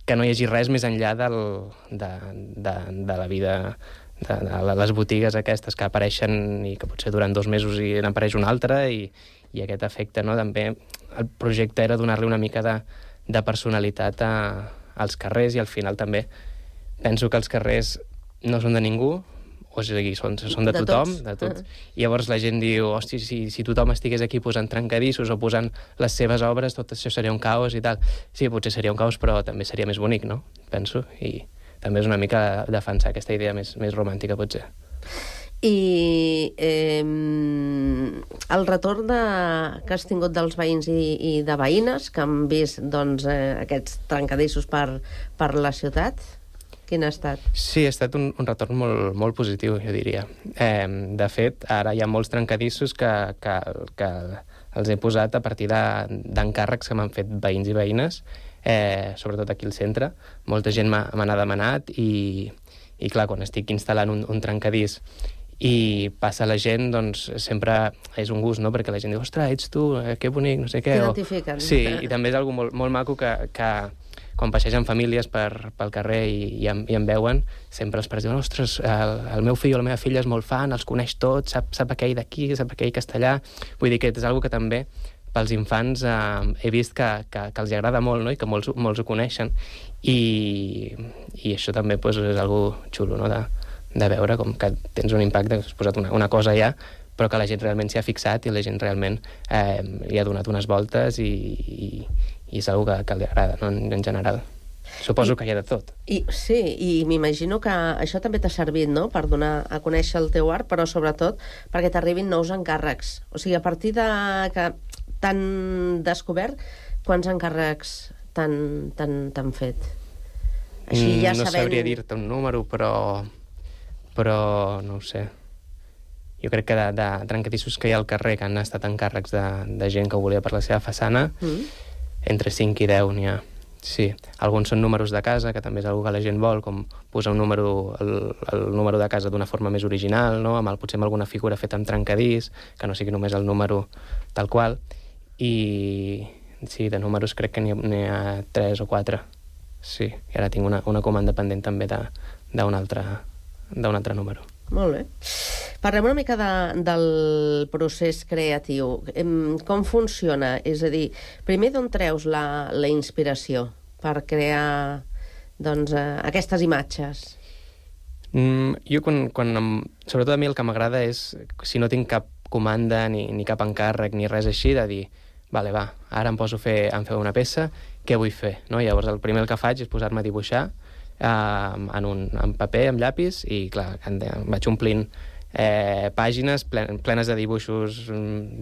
que no hi hagi res més enllà del, de, de, de la vida, de, de les botigues aquestes que apareixen i que potser duran dos mesos i n'apareix una altra, i i aquest efecte, no? També el projecte era donar-li una mica de, de personalitat a, als carrers, i al final també penso que els carrers no són de ningú, o sigui, són, són de, de tothom, tots. de tots. Uh-huh. I llavors la gent diu, hosti, si, si tothom estigués aquí posant trencadissos o posant les seves obres, tot això seria un caos i tal. Sí, potser seria un caos, però també seria més bonic, no? Penso, i també és una mica defensar aquesta idea més, més romàntica, potser. I eh, el retorn de, que has tingut dels veïns i, i de veïnes que han vist doncs, eh, aquests trencadissos per, per la ciutat, quin ha estat? Sí, ha estat un, un retorn molt, molt positiu, jo diria. Eh, de fet, ara hi ha molts trencadissos que, que, que els he posat a partir d'encàrrecs que m'han fet veïns i veïnes, eh, sobretot aquí al centre. Molta gent m'ha n'ha demanat i, i, clar, quan estic instal·lant un, un trencadís i passa la gent, doncs sempre és un gust, no? Perquè la gent diu, ostres, ets tu, eh, que bonic, no sé què. T'identifiquen. Sí, i també és algo molt, molt maco que, que quan passegen famílies per, pel carrer i, i, em, i em veuen, sempre els pares diuen, ostres, el, el meu fill o la meva filla és molt fan, els coneix tots, sap, sap aquell d'aquí, sap aquell castellà. Vull dir que és algo que també pels infants eh, he vist que, que, que els agrada molt, no? I que molts, molts ho coneixen. I, i això també pues, és algo xulo, no? De, de veure com que tens un impacte, que has posat una, una cosa allà, però que la gent realment s'hi ha fixat i la gent realment eh, hi ha donat unes voltes i, i, i és una que, que li agrada, no? en, en general. Suposo I, que hi ha de tot. I, sí, i m'imagino que això també t'ha servit, no?, per donar a conèixer el teu art, però sobretot perquè t'arribin nous encàrrecs. O sigui, a partir de que t'han descobert, quants encàrrecs t'han fet? Així ja no sabent... sabria dir-te un número, però... però no ho sé. Jo crec que de, de trencadissos que hi ha al carrer que han estat encàrrecs de, de gent que ho volia per la seva façana, mm. entre cinc i deu n'hi ha. Sí, alguns són números de casa, que també és una que la gent vol, com posar un número, el, el número de casa d'una forma més original, no? Amb el, potser amb alguna figura feta amb trencadís, que no sigui només el número tal qual. i sí, de números crec que n'hi ha, ha tres o quatre. Sí, i ara tinc una, una comanda pendent també d'un altre, d'un altre número. Molt bé. Parlem una mica de, del procés creatiu. Com funciona? És a dir, primer d'on treus la, la inspiració per crear doncs, eh, aquestes imatges? Mm, jo, quan, quan em, sobretot a mi el que m'agrada és, si no tinc cap comanda ni, ni cap encàrrec ni res així, de dir, vale, va, ara em poso a fer, a fer una peça, què vull fer? No? Llavors, el primer que faig és posar-me a dibuixar eh, en, un, en paper, amb llapis, i clar, vaig omplint eh, pàgines plen, plenes de dibuixos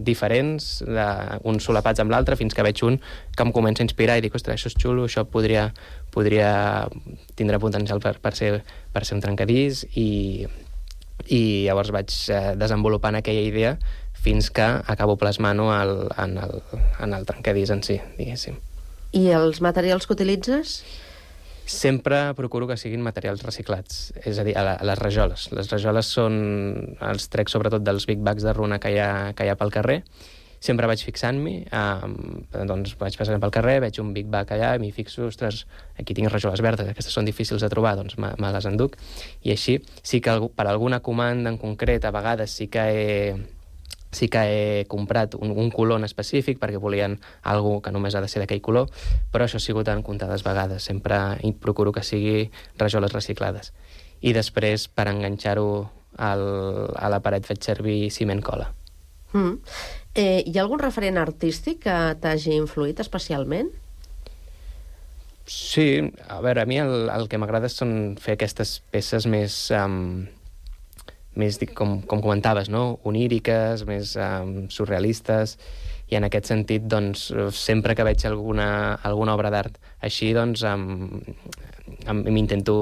diferents, de, uns solapats amb l'altre, fins que veig un que em comença a inspirar i dic, ostres, això és xulo, això podria, podria tindre potencial per, per, ser, per ser un trencadís, i, i llavors vaig eh, desenvolupant aquella idea fins que acabo plasmant-ho en, el, en el trencadís en si, diguéssim. I els materials que utilitzes? Sempre procuro que siguin materials reciclats, és a dir, a, la, a les rajoles. Les rajoles són els trec sobretot dels big bags de runa que hi ha, que hi ha pel carrer. Sempre vaig fixant-m'hi, eh, doncs vaig passant pel carrer, veig un big bag allà, m'hi fixo, ostres, aquí tinc rajoles verdes, aquestes són difícils de trobar, doncs me, me les enduc. I així, sí que per alguna comanda en concret, a vegades sí que he... sí que he comprat un, un color en específic perquè volien algú que només ha de ser d'aquell color, però això ha sigut en comptades vegades. Sempre procuro que sigui rajoles reciclades. I després, per enganxar-ho al, a la paret, faig servir ciment cola. Mm. Eh, hi ha algun referent artístic que t'hagi influït especialment? Sí, a veure, a mi el, el que m'agrada són fer aquestes peces més... Um, més, com, com comentaves, no? Oníriques, més um, surrealistes, i en aquest sentit, doncs, sempre que veig alguna, alguna obra d'art així, doncs, um, um, m'intento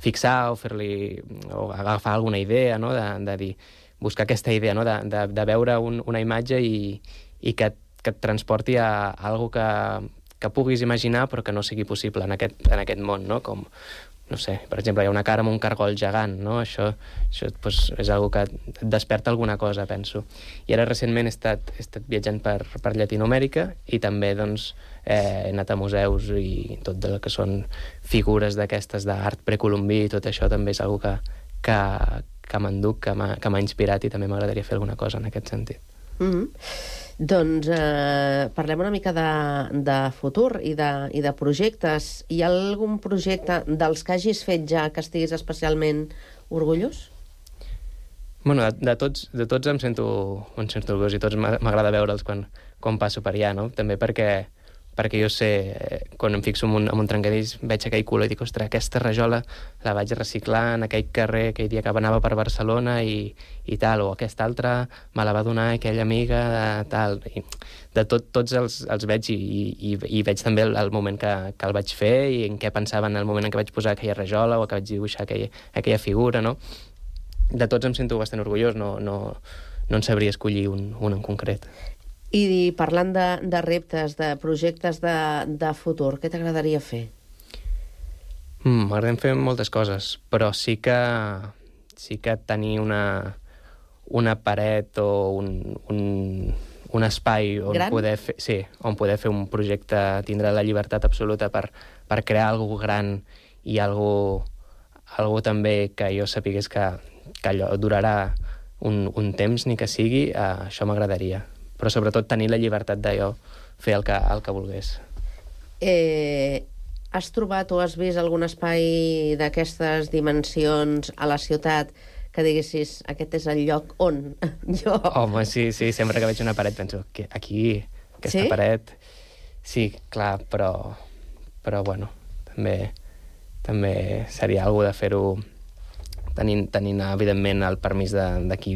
fixar o fer-li, o agafar alguna idea, no? De, de dir, buscar aquesta idea, no? De, de, de veure un, una imatge i, i que, que et transporti a, a algo que, que puguis imaginar però que no sigui possible en aquest, en aquest món, no? Com, no sé, per exemple, hi ha una cara amb un cargol gegant, no? Això, això doncs, és una que et desperta alguna cosa, penso. I ara recentment he estat, he estat viatjant per, per Llatinoamèrica i també doncs, eh, he anat a museus i tot el que són figures d'aquestes d'art precolombí i tot això també és una que, que, que m'enduc, que m'ha inspirat i també m'agradaria fer alguna cosa en aquest sentit. Mm-hmm. Doncs eh, parlem una mica de, de futur i de, i de projectes. Hi ha algun projecte dels que hagis fet ja que estiguis especialment orgullós? Bueno, de, de, tots, de tots em sento, em sento orgullós i tots m'agrada veure'ls quan, quan passo per allà, no? També perquè, perquè jo sé, quan em fixo en un, en un trencadís, veig aquell color i dic, ostres, aquesta rajola la vaig reciclar en aquell carrer aquell dia que anava per Barcelona i, i tal, o aquesta altra me la va donar aquella amiga de tal. I de tot, tots els, els veig i, i, i veig també el, el moment que, que el vaig fer i en què pensava en el moment en què vaig posar aquella rajola o que vaig dibuixar aquella, aquella figura, no? De tots em sento bastant orgullós, no, no, no en sabria escollir un, un en concret. I parlant de, de reptes, de projectes de, de futur, què t'agradaria fer? Mm, m'agraden fer moltes coses, però sí que, sí que tenir una, una paret o un, un, un espai on gran? poder fer, sí, on poder fer un projecte, tindre la llibertat absoluta per, per crear alguna gran i algo, algo també que jo sapigués que, que allò durarà un, un temps, ni que sigui, eh, això m'agradaria. Però sobretot tenir la llibertat d'allò, fer el que, el que volgués. Eh, has trobat o has vist algun espai d'aquestes dimensions a la ciutat que diguessis, aquest és el lloc on jo... Home, sí, sí, sempre que veig una paret penso, aquí, aquesta sí? paret... Sí, clar, però, però bueno, també, també seria alguna de fer-ho tenint, tenint, evidentment, el permís de, de qui...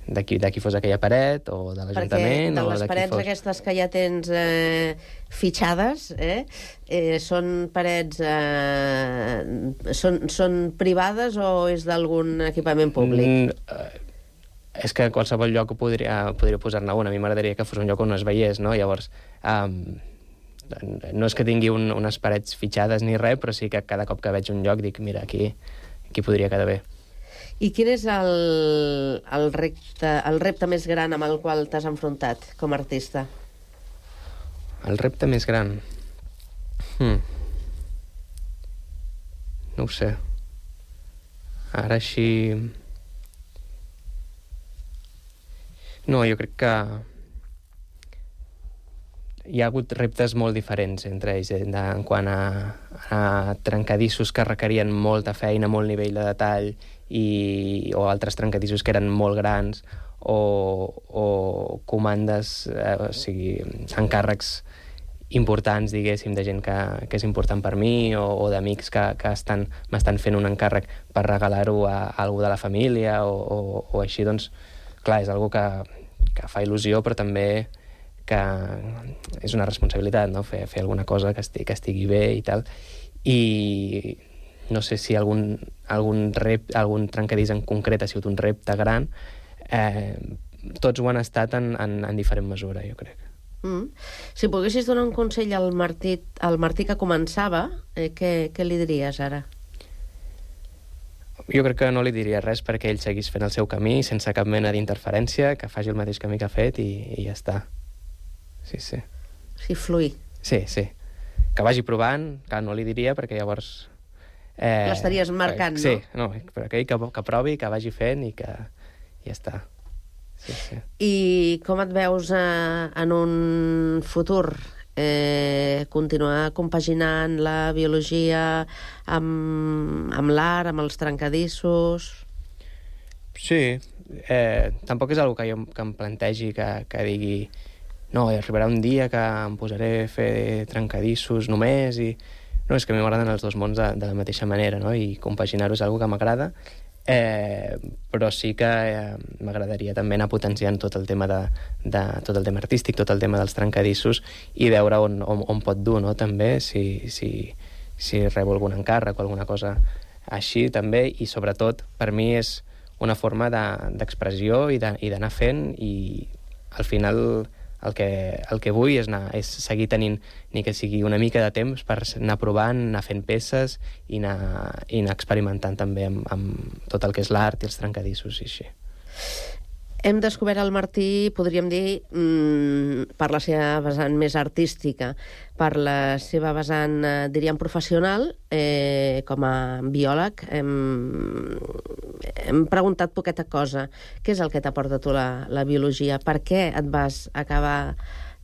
de qui, de qui fos aquella paret, o de l'Ajuntament... Perquè de o les de parets fos... aquestes que ja tens eh, fitxades, eh, eh, són parets... Eh, són, són privades o és d'algun equipament públic? Mm, eh, és que a qualsevol lloc podria, podria posar-ne una. A mi m'agradaria que fos un lloc on es veiés, no? Llavors, um, no és que tingui un, unes parets fitxades ni res, però sí que cada cop que veig un lloc dic, mira, aquí, aquí podria quedar bé. I quin és el, el, repte, el repte més gran amb el qual t'has enfrontat com a artista? El repte més gran... Hmm. No ho sé. Ara així... No, jo crec que hi ha hagut reptes molt diferents entre ells, eh, de, en quant a, a trencadissos que requerien molta feina, molt nivell de detall, i, o altres trencadissos que eren molt grans, o, o comandes, eh, o sigui, encàrrecs importants, diguéssim, de gent que, que és important per mi, o, o d'amics que, que estan, m'estan fent un encàrrec per regalar-ho a, a algú de la família, o, o, o així, doncs, clar, és algo que, que fa il·lusió, però també que és una responsabilitat, no?, fer, fer alguna cosa que estigui, que estigui bé i tal. I no sé si algun, algun, rep, algun trencadís en concret ha sigut un repte gran. Eh, tots ho han estat en, en, en diferent mesura, jo crec. Mm. Si poguessis donar un consell al Martí, al Martí que començava, eh, què, què li diries ara? Jo crec que no li diria res perquè ell seguís fent el seu camí sense cap mena d'interferència, que faci el mateix camí que ha fet i, i ja està. Sí, sí. Sí, fluir. Sí, sí. Que vagi provant, que no li diria perquè llavors... Eh, L'estaries marcant, sí, no? Sí, no, però que, que, que provi, que vagi fent i que ja està. Sí, sí. I com et veus eh, en un futur? Eh, continuar compaginant la biologia amb, amb l'art, amb els trencadissos? Sí, eh, tampoc és una cosa que jo que em plantegi, que, que digui no, arribarà un dia que em posaré a fer trencadissos només i... No, és que a mi m'agraden els dos mons de, de la mateixa manera, no? I compaginar-ho és una cosa que m'agrada, eh, però sí que eh, m'agradaria també anar potenciant tot el tema de, de tot el tema artístic, tot el tema dels trencadissos i veure on, on, on pot dur, no?, també, si, si, si rebo algun encàrrec o alguna cosa així també, i sobretot per mi és una forma d'expressió de, i d'anar fent, i al final el que, el que vull és, anar, és seguir tenint ni que sigui una mica de temps per anar provant, anar fent peces i anar, i anar experimentant també amb, amb tot el que és l'art i els trencadissos i així. Hem descobert el Martí, podríem dir, mmm, per la seva vessant més artística, per la seva vessant, eh, diríem, professional, eh, com a biòleg. Hem, hem preguntat poqueta cosa. Què és el que t'aporta tu la, la biologia? Per què et vas acabar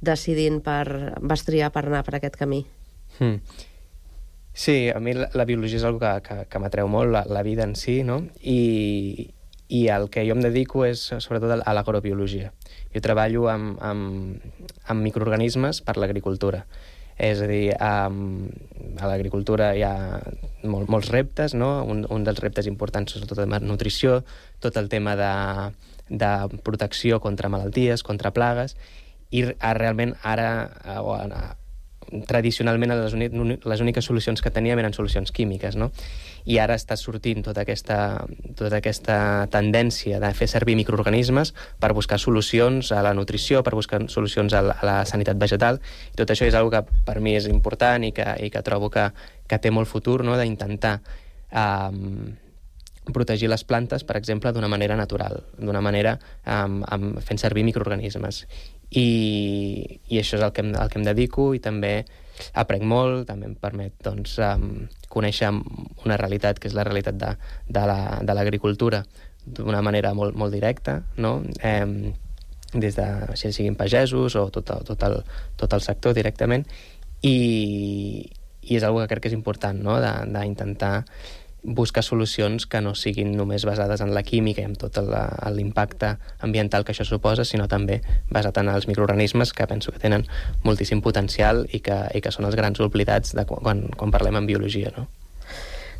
decidint per... vas triar per anar per aquest camí? Hmm. Sí, a mi la, la biologia és una cosa que, que, que m'atreu molt, la, la vida en si, no? I... i el que jo em dedico és sobretot a l'agrobiologia. Jo treballo amb, amb, amb microorganismes per l'agricultura. És a dir, a, a l'agricultura hi ha mol, molts reptes, no? Un, un dels reptes importants és tot el tema de nutrició, tot el tema de, de protecció contra malalties, contra plagues, i realment ara... O, tradicionalment les, les úniques solucions que teníem eren solucions químiques, no? I ara està sortint tota aquesta, tota aquesta tendència de fer servir microorganismes per buscar solucions a la nutrició, per buscar solucions a la, a la sanitat vegetal, i tot això és una cosa que per mi és important i que, i que trobo que, que té molt futur, no?, d'intentar um, protegir les plantes, per exemple, d'una manera natural, d'una manera um, um, fent servir microorganismes. I, i això és el que, em, el que em dedico, i també aprenc molt, també em permet doncs, um, conèixer una realitat que és la realitat de, de l'agricultura la, d'una manera molt, molt directa, no? Eh, des de, si siguin pagesos o tot, tot, el, tot el sector directament, i, i és una cosa que crec que és important, no?, d'intentar buscar solucions que no siguin només basades en la química i en tot l'impacte ambiental que això suposa, sinó també basat en els microorganismes, que penso que tenen moltíssim potencial i que, i que són els grans oblidats de quan, quan parlem en biologia, no?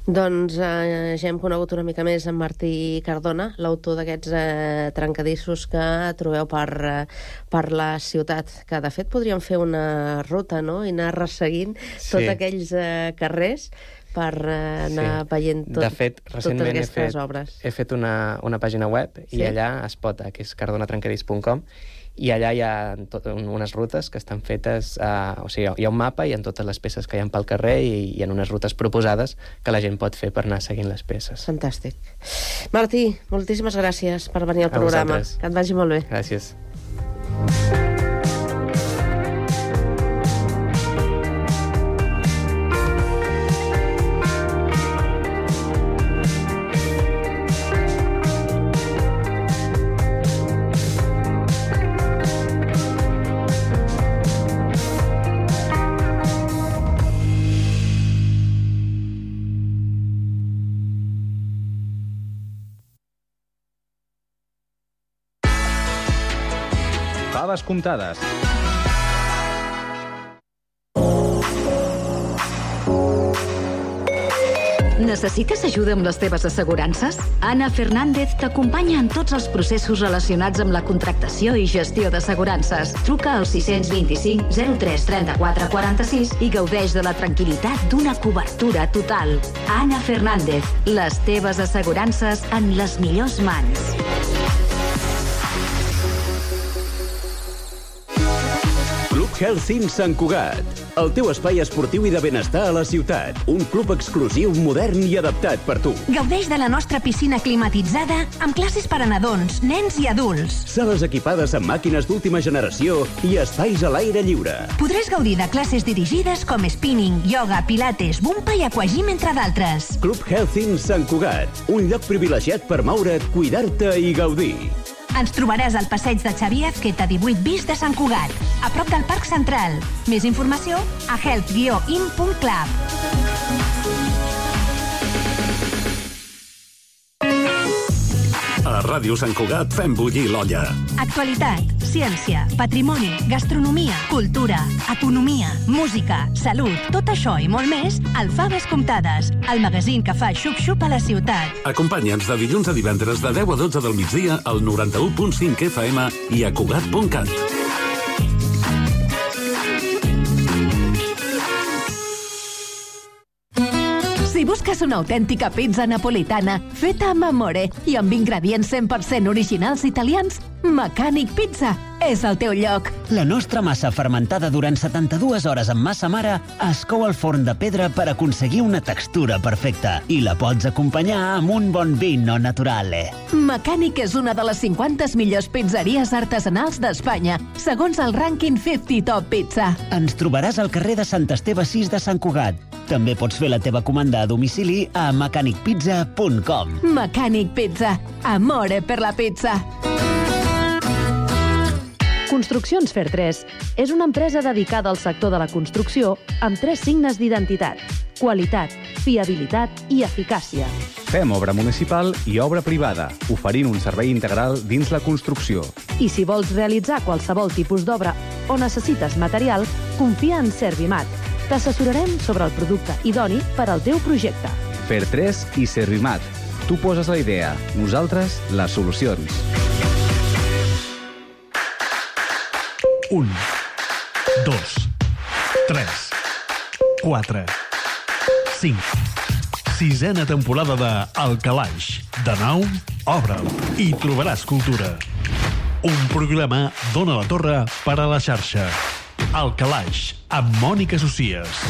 Doncs eh, ja hem conegut una mica més en Martí Cardona, l'autor d'aquests eh, trencadissos que trobeu per, eh, per la ciutat, que de fet podríem fer una ruta, no?, i anar resseguint sí. tots aquells eh, carrers per eh, anar sí. veient tot, de fet, totes aquestes he fet, obres. He fet una, una pàgina web sí? i allà es pot, que és cardona trencadís punt com, i allà hi ha tot, unes rutes que estan fetes, uh, o sigui, hi ha un mapa i en totes les peces que hi ha pel carrer, i hi ha unes rutes proposades que la gent pot fer per anar seguint les peces. Fantàstic. Martí, moltíssimes gràcies per venir al A programa. Vosaltres. Que et vagi molt bé. Gràcies. faves comptades. Necessites ajuda amb les teves assegurances? Ana Fernández t'acompanya en tots els processos relacionats amb la contractació i gestió d'assegurances. Truca al sis dos cinc zero tres trenta-quatre quaranta-sis i gaudeix de la tranquil·litat d'una cobertura total. Ana Fernández, les teves assegurances en les millors mans. Club Health Sant Cugat. El teu espai esportiu i de benestar a la ciutat. Un club exclusiu, modern i adaptat per tu. Gaudeix de la nostra piscina climatitzada amb classes per a nadons, nens i adults. Sales equipades amb màquines d'última generació i espais a l'aire lliure. Podràs gaudir de classes dirigides com spinning, yoga, pilates, bumpa i aquagym, entre d'altres. Club Health Sant Cugat. Un lloc privilegiat per moure't, cuidar-te i gaudir. Ens trobaràs al passeig de Xavier Azqueta divuit bis de Sant Cugat, a prop del Parc Central. Més informació a health guió in punt club. A Ràdio Sant Cugat fem bullir l'olla. Actualitat, ciència, patrimoni, gastronomia, cultura, economia, música, salut, tot això i molt més al Faves Comptades, el magazín que fa xup-xup a la ciutat. Acompanya'ns de dilluns a divendres de deu a dotze del migdia al noranta-u punt cinc F M i a Cugat punt cat. Si busques una autèntica pizza napolitana feta amb amore i amb ingredients cent per cent originals italians, Mecànic Pizza és el teu lloc. La nostra massa fermentada durant setanta-dues hores amb massa mare es cou al forn de pedra per aconseguir una textura perfecta i la pots acompanyar amb un bon vino naturale. Mecànic és una de les cinquanta millors pizzeries artesanals d'Espanya, segons el rànquing cinquanta Top Pizza. Ens trobaràs al carrer de Sant Esteve sis de Sant Cugat. També pots fer la teva comanda a domicili a mecànic pizza punt com. Mecànic Pizza. Amore per la pizza. Construccions Fer tres és una empresa dedicada al sector de la construcció amb tres signes d'identitat: qualitat, fiabilitat i eficàcia. Fem obra municipal i obra privada, oferint un servei integral dins la construcció. I si vols realitzar qualsevol tipus d'obra o necessites material, confia en Servimat. T'assessorarem sobre el producte idoni per al teu projecte. Fer tres i Servimat. Tu poses la idea, nosaltres les solucions. Un, dos, tres, quatre, cinc. Sisena temporada de El Calaix. De nou, obre'l i trobaràs cultura. Un programa d'Ona la Torre per a la xarxa. El Calaix, amb Mònica Socies.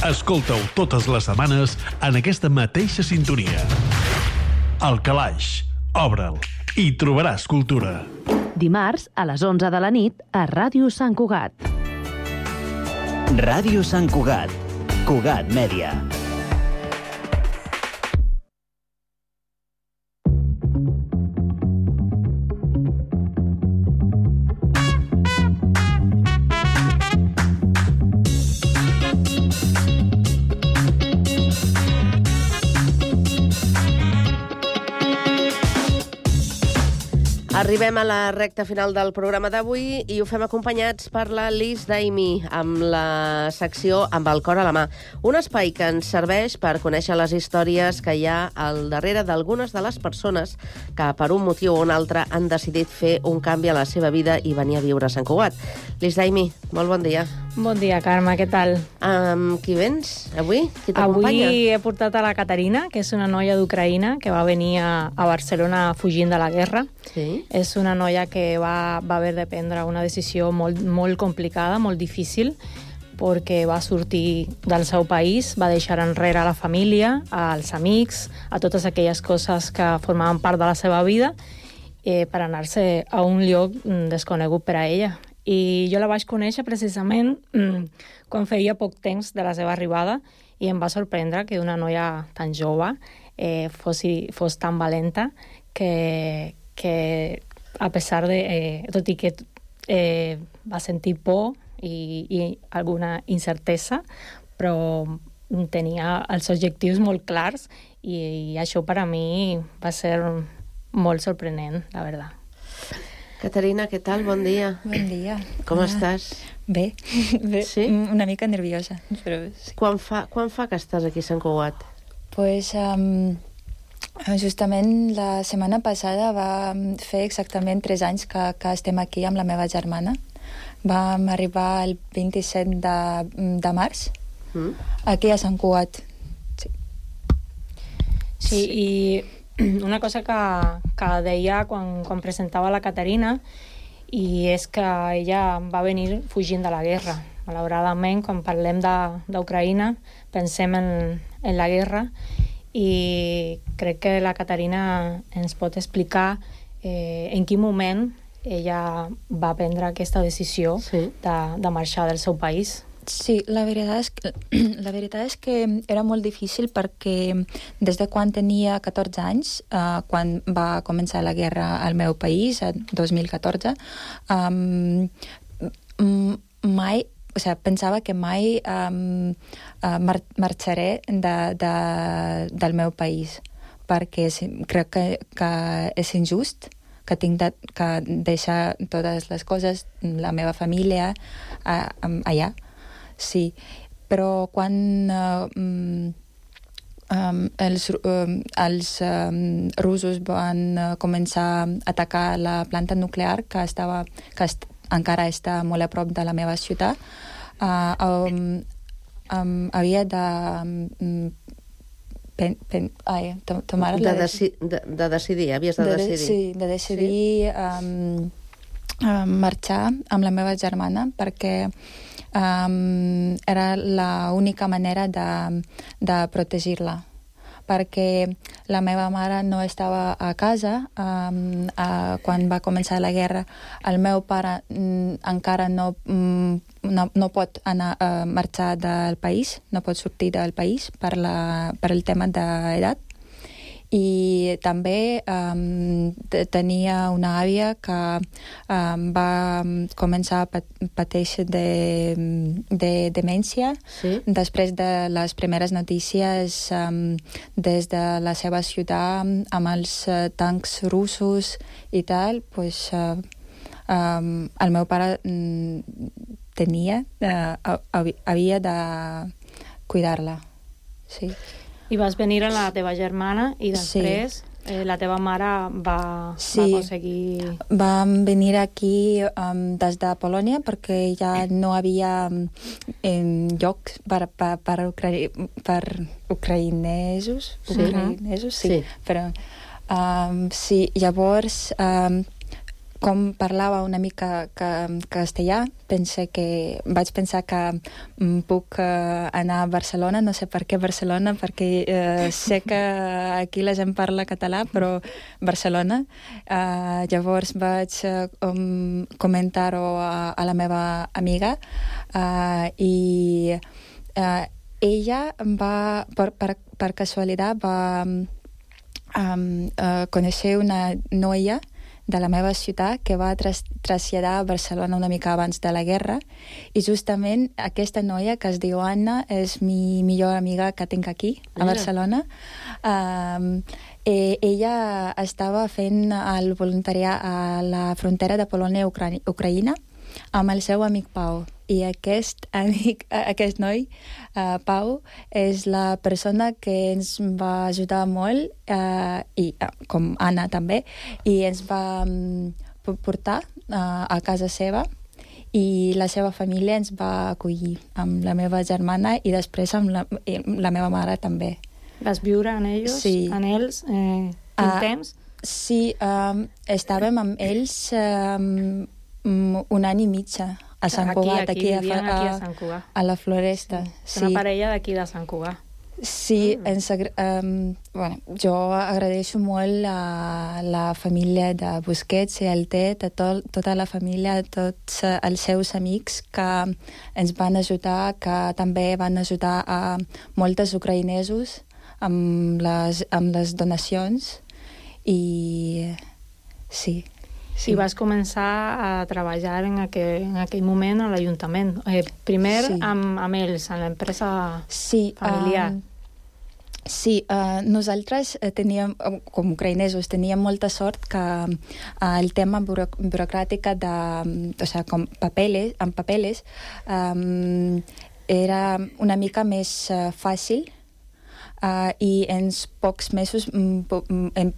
Escolta-ho totes les setmanes en aquesta mateixa sintonia. El Calaix, obre'l i trobaràs cultura. Dimarts, a les onze de la nit, a Ràdio Sant Cugat. Ràdio Sant Cugat. Cugat Mèdia. Arribem a la recta final del programa d'avui i ho fem acompanyats per la Liz Daimi amb la secció Amb el cor a la mà. Un espai que ens serveix per conèixer les històries que hi ha al darrere d'algunes de les persones que per un motiu o un altre han decidit fer un canvi a la seva vida i venir a viure a Sant Cugat. Liz Daimi, molt bon dia. Bon dia, Carme, què tal? Amb qui vens avui? Qui t'acompanya? Avui he portat a la Caterina, que és una noia d'Ucraïna que va venir a, a Barcelona fugint de la guerra. Sí. És una noia que va, va haver de prendre una decisió molt, molt complicada, molt difícil, perquè va sortir del seu país, va deixar enrere la família, als amics, a totes aquelles coses que formaven part de la seva vida, eh, per anar-se a un lloc desconegut per a ella. I jo la vaig conèixer precisament mm, quan feia poc temps de la seva arribada i em va sorprendre que una noia tan jove eh, fos, fos tan valenta que, que a pesar de... Eh, tot i que eh, va sentir por i, i alguna incertesa, però tenia els objectius molt clars i, i això per a mi va ser molt sorprenent, la veritat. Caterina, què tal? Bon dia. Bon dia. Com Hola. estàs? Bé, bé. Sí? Una mica nerviosa, però sí. Quan fa, quan fa que estàs aquí a Sant Cugat? Pues, um, justament la setmana passada va fer exactament tres anys que, que estem aquí amb la meva germana. Vam arribar el vint-i-set de, de març, mm. aquí a Sant Cugat. Sí, sí, i una cosa que, que deia quan, quan presentava la Caterina, i és que ella va venir fugint de la guerra. Malauradament, quan parlem d'Ucraïna, pensem en, en la guerra, i crec que la Caterina ens pot explicar eh, en quin moment ella va prendre aquesta decisió sí. de, de marxar del seu país. Sí, la veritat és que, la veritat és que era molt difícil perquè des de quan tenia catorze anys, eh, quan va començar la guerra al meu país, el dos mil catorze, um, mai, o sigui, pensava que mai um, uh, mar marxaré de, de, del meu país, perquè crec que, que és injust que tinc de, que deixar totes les coses, la meva família, uh, allà. Sí, però quan uh, um, els, um, els um, russos van uh, començar a atacar la planta nuclear, que, estava, que est encara està molt a prop de la meva ciutat, uh, um, um, havia de... Um, pen, pen, ai, tomar de, deci de, de decidir, havies de, de decidir. Sí, de decidir sí. Um, um, marxar amb la meva germana, perquè Um, era l'única manera de, de protegir-la, perquè la meva mare no estava a casa um, uh, quan va començar la guerra. El meu pare um, encara no, um, no, no pot anar a uh, marxar del país, no pot sortir del país per, la, per el tema d'edat. I també um, tenia una àvia que um, va començar a pateixer de, de demència sí. després de les primeres notícies um, des de la seva ciutat amb els uh, tancs russos i tal, pues, uh, um, el meu pare um, tenia, uh, havia de cuidar-la. Sí. I vas venir a la teva germana i després sí. eh, la teva mare va, sí. va aconseguir... Vam venir aquí um, des de Polònia perquè ja no havia um, lloc per, per, per, ucra per ucraïnesos. Sí. Ucraïnesos, sí. sí. Però, um, sí, llavors... Um, com parlava una mica que, castellà, pense que, vaig pensar que um, puc uh, anar a Barcelona, no sé per què Barcelona, perquè uh, sé que aquí la gent parla català, però Barcelona. Uh, llavors vaig uh, um, comentar-ho a, a la meva amiga uh, i uh, ella va, per, per, per casualitat, va um, uh, conèixer una noia de la meva ciutat que va tras traslladar a Barcelona una mica abans de la guerra, i justament aquesta noia, que es diu Anna, és mi millor amiga que tinc aquí, a Barcelona. Um, eh, ella estava fent el voluntariat a la frontera de Polònia-Ucraïna amb el seu amic Pau. I aquest amic, aquest noi, uh, Pau, és la persona que ens va ajudar molt, uh, i uh, com Anna també, i ens va um, portar uh, a casa seva, i la seva família ens va acollir amb la meva germana i després amb la, la meva mare també. Vas viure en ells? Sí. En ells? Eh, quin uh, temps? Sí, um, estàvem amb ells um, un any i mitja a Sant Cugat, aquí, aquí, aquí, a, aquí a, Sant Cugat. A la Floresta. Sí. Sí. Una parella d'aquí de Sant Cugat. Sí, mm. ens, um, bueno, jo agraeixo molt a la família de Busquets i el Tet, a tot, tota la família, a tots els seus amics que ens van ajudar, que també van ajudar a moltes ucraïnesos amb les, amb les donacions. I sí. Sí. I vas començar a treballar en aquell, en aquell moment a l'Ajuntament. Eh, primer sí. amb, amb ells, en l'empresa sí, familiar. Um, Sí, uh, nosaltres teníem, com ucraïnesos, teníem molta sort que uh, el tema buro burocràtic de, o sigui, com papeles, amb papeles, um, era una mica més uh, fàcil. Uh, i en pocs mesos en,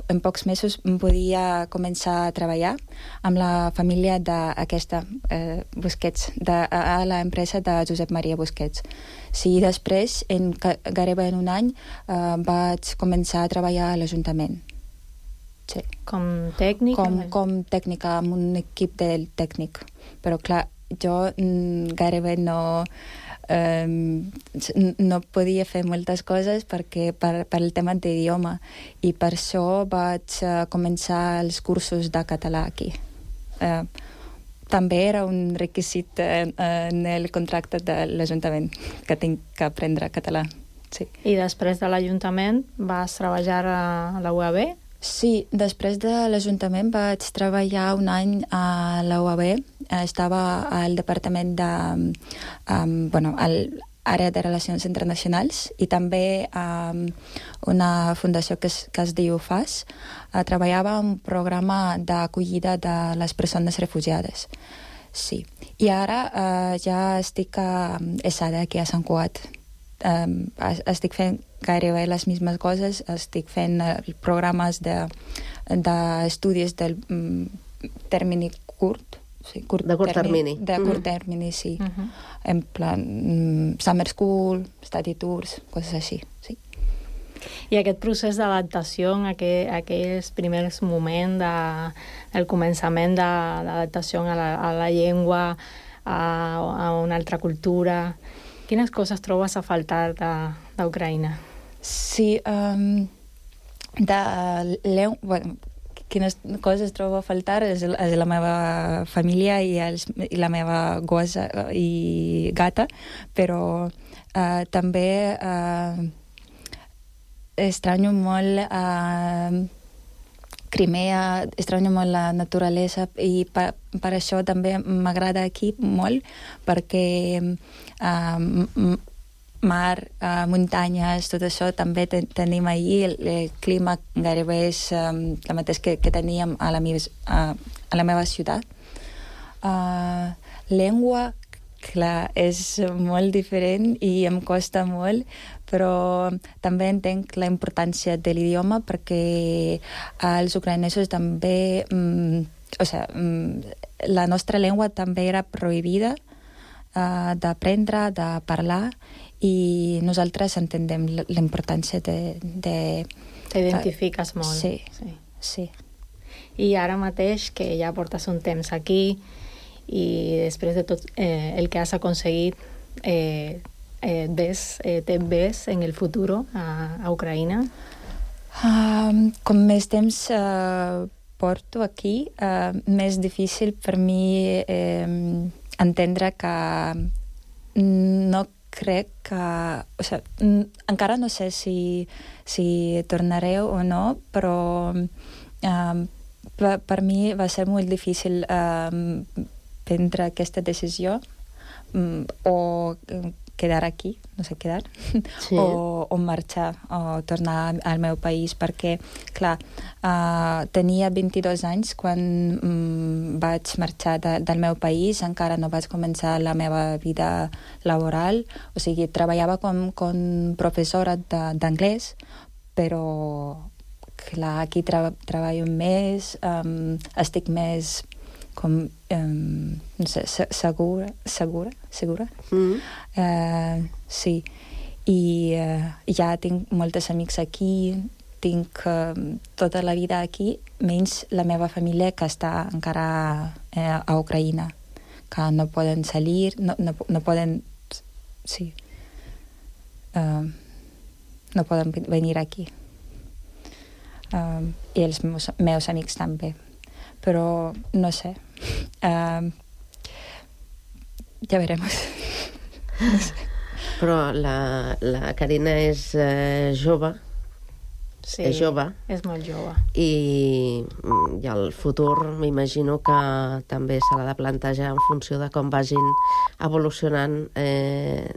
en pocs mesos podia començar a treballar amb la família d'aquesta eh, Busquets, de, a l'empresa de Josep Maria Busquets. Sí, després, en, gairebé en un any, eh, vaig començar a treballar a l'Ajuntament. Sí. Com tècnic? Com, com tècnica, amb un equip del tècnic. Però, clar, jo mm, gairebé no... Um, no podia fer moltes coses perquè per, per el tema d'idioma, i per això vaig uh, començar els cursos de català aquí. Uh, també era un requisit en, en el contracte de l'Ajuntament que tinc que aprendre català. Sí. I després de l'Ajuntament vas treballar a la U A B? Sí, després de l'Ajuntament vaig treballar un any a la U A B. Estava al departament de... Um, bueno, a l'àrea de Relacions Internacionals, i també a um, una fundació que es, que es diu F A S. Uh, treballava en un programa d'acollida de les persones refugiades. Sí. I ara uh, ja estic a ESADA, aquí a Sant Cugat. Um, estic fent gairebé les mismes coses, estic fent uh, programes d'estudis de, del um, termini curt, sí, curt de curt termini. De curt mm. termini, sí. Uh -huh. En plan, um, summer school, study tours, coses així, sí. I aquest procés d'adaptació, aquell, aquells primers moments de, del començament d'adaptació a, la, a la llengua, a, a una altra cultura, quines coses trobes a faltar d'Ucraïna? Sí, um, de leu... Bueno, quines coses trobo a faltar és, és la meva família i, els, i la meva gossa i gata, però uh, també uh, estranyo molt uh, Crimea, estranyo molt la naturalesa, i per, per això també m'agrada aquí molt, perquè uh, mar, uh, muntanyes, tot això també ten tenim allí. El, el clima gairebé és um, el mateix que, que teníem a la, meves, uh, a la meva ciutat. Uh, llengua, clar, és molt diferent i em costa molt, però també entenc la importància de l'idioma, perquè els ucraïnesos també... Um, o sigui, um, la nostra llengua també era prohibida uh, d'aprendre, de parlar, i nosaltres entenem la importància de... de T'identifiques molt. Sí, sí, sí. I ara mateix, que ja portes un temps aquí, i després de tot eh, el que has aconseguit, eh, eh, ves, eh, te ves en el futur a, a Ucraïna? Um, com més temps uh, porto aquí, uh, més difícil per mi eh, entendre que no crec que... O sigui, encara no sé si, si tornaré o no, però um, per, per mi va ser molt difícil um, prendre aquesta decisió, um, o quedar aquí, no sé, quedar, sí. o, o marxar, o tornar al meu país, perquè, clar, uh, tenia vint-i-dos anys quan um, vaig marxar de, del meu país, encara no vaig començar la meva vida laboral, o sigui, treballava com, com professora d'anglès, però, clar, aquí tra treballo més, um, estic més com, um, no sé, segura, segura, segura. Mm. Uh, sí. I uh, ja tinc moltes amics aquí, tinc uh, tota la vida aquí, menys la meva família que està encara uh, a Ucraïna, que no poden salir, no, no, no poden... Sí. Uh, no poden venir aquí. Uh, I els meus, meus amics també. Però no sé. Uh, ja veremos. No sé. Però la, la Carina és eh, jove. Sí, és jove. És molt jove. I, i el futur m'imagino que també se l'ha de plantejar en funció de com vagin evolucionant eh,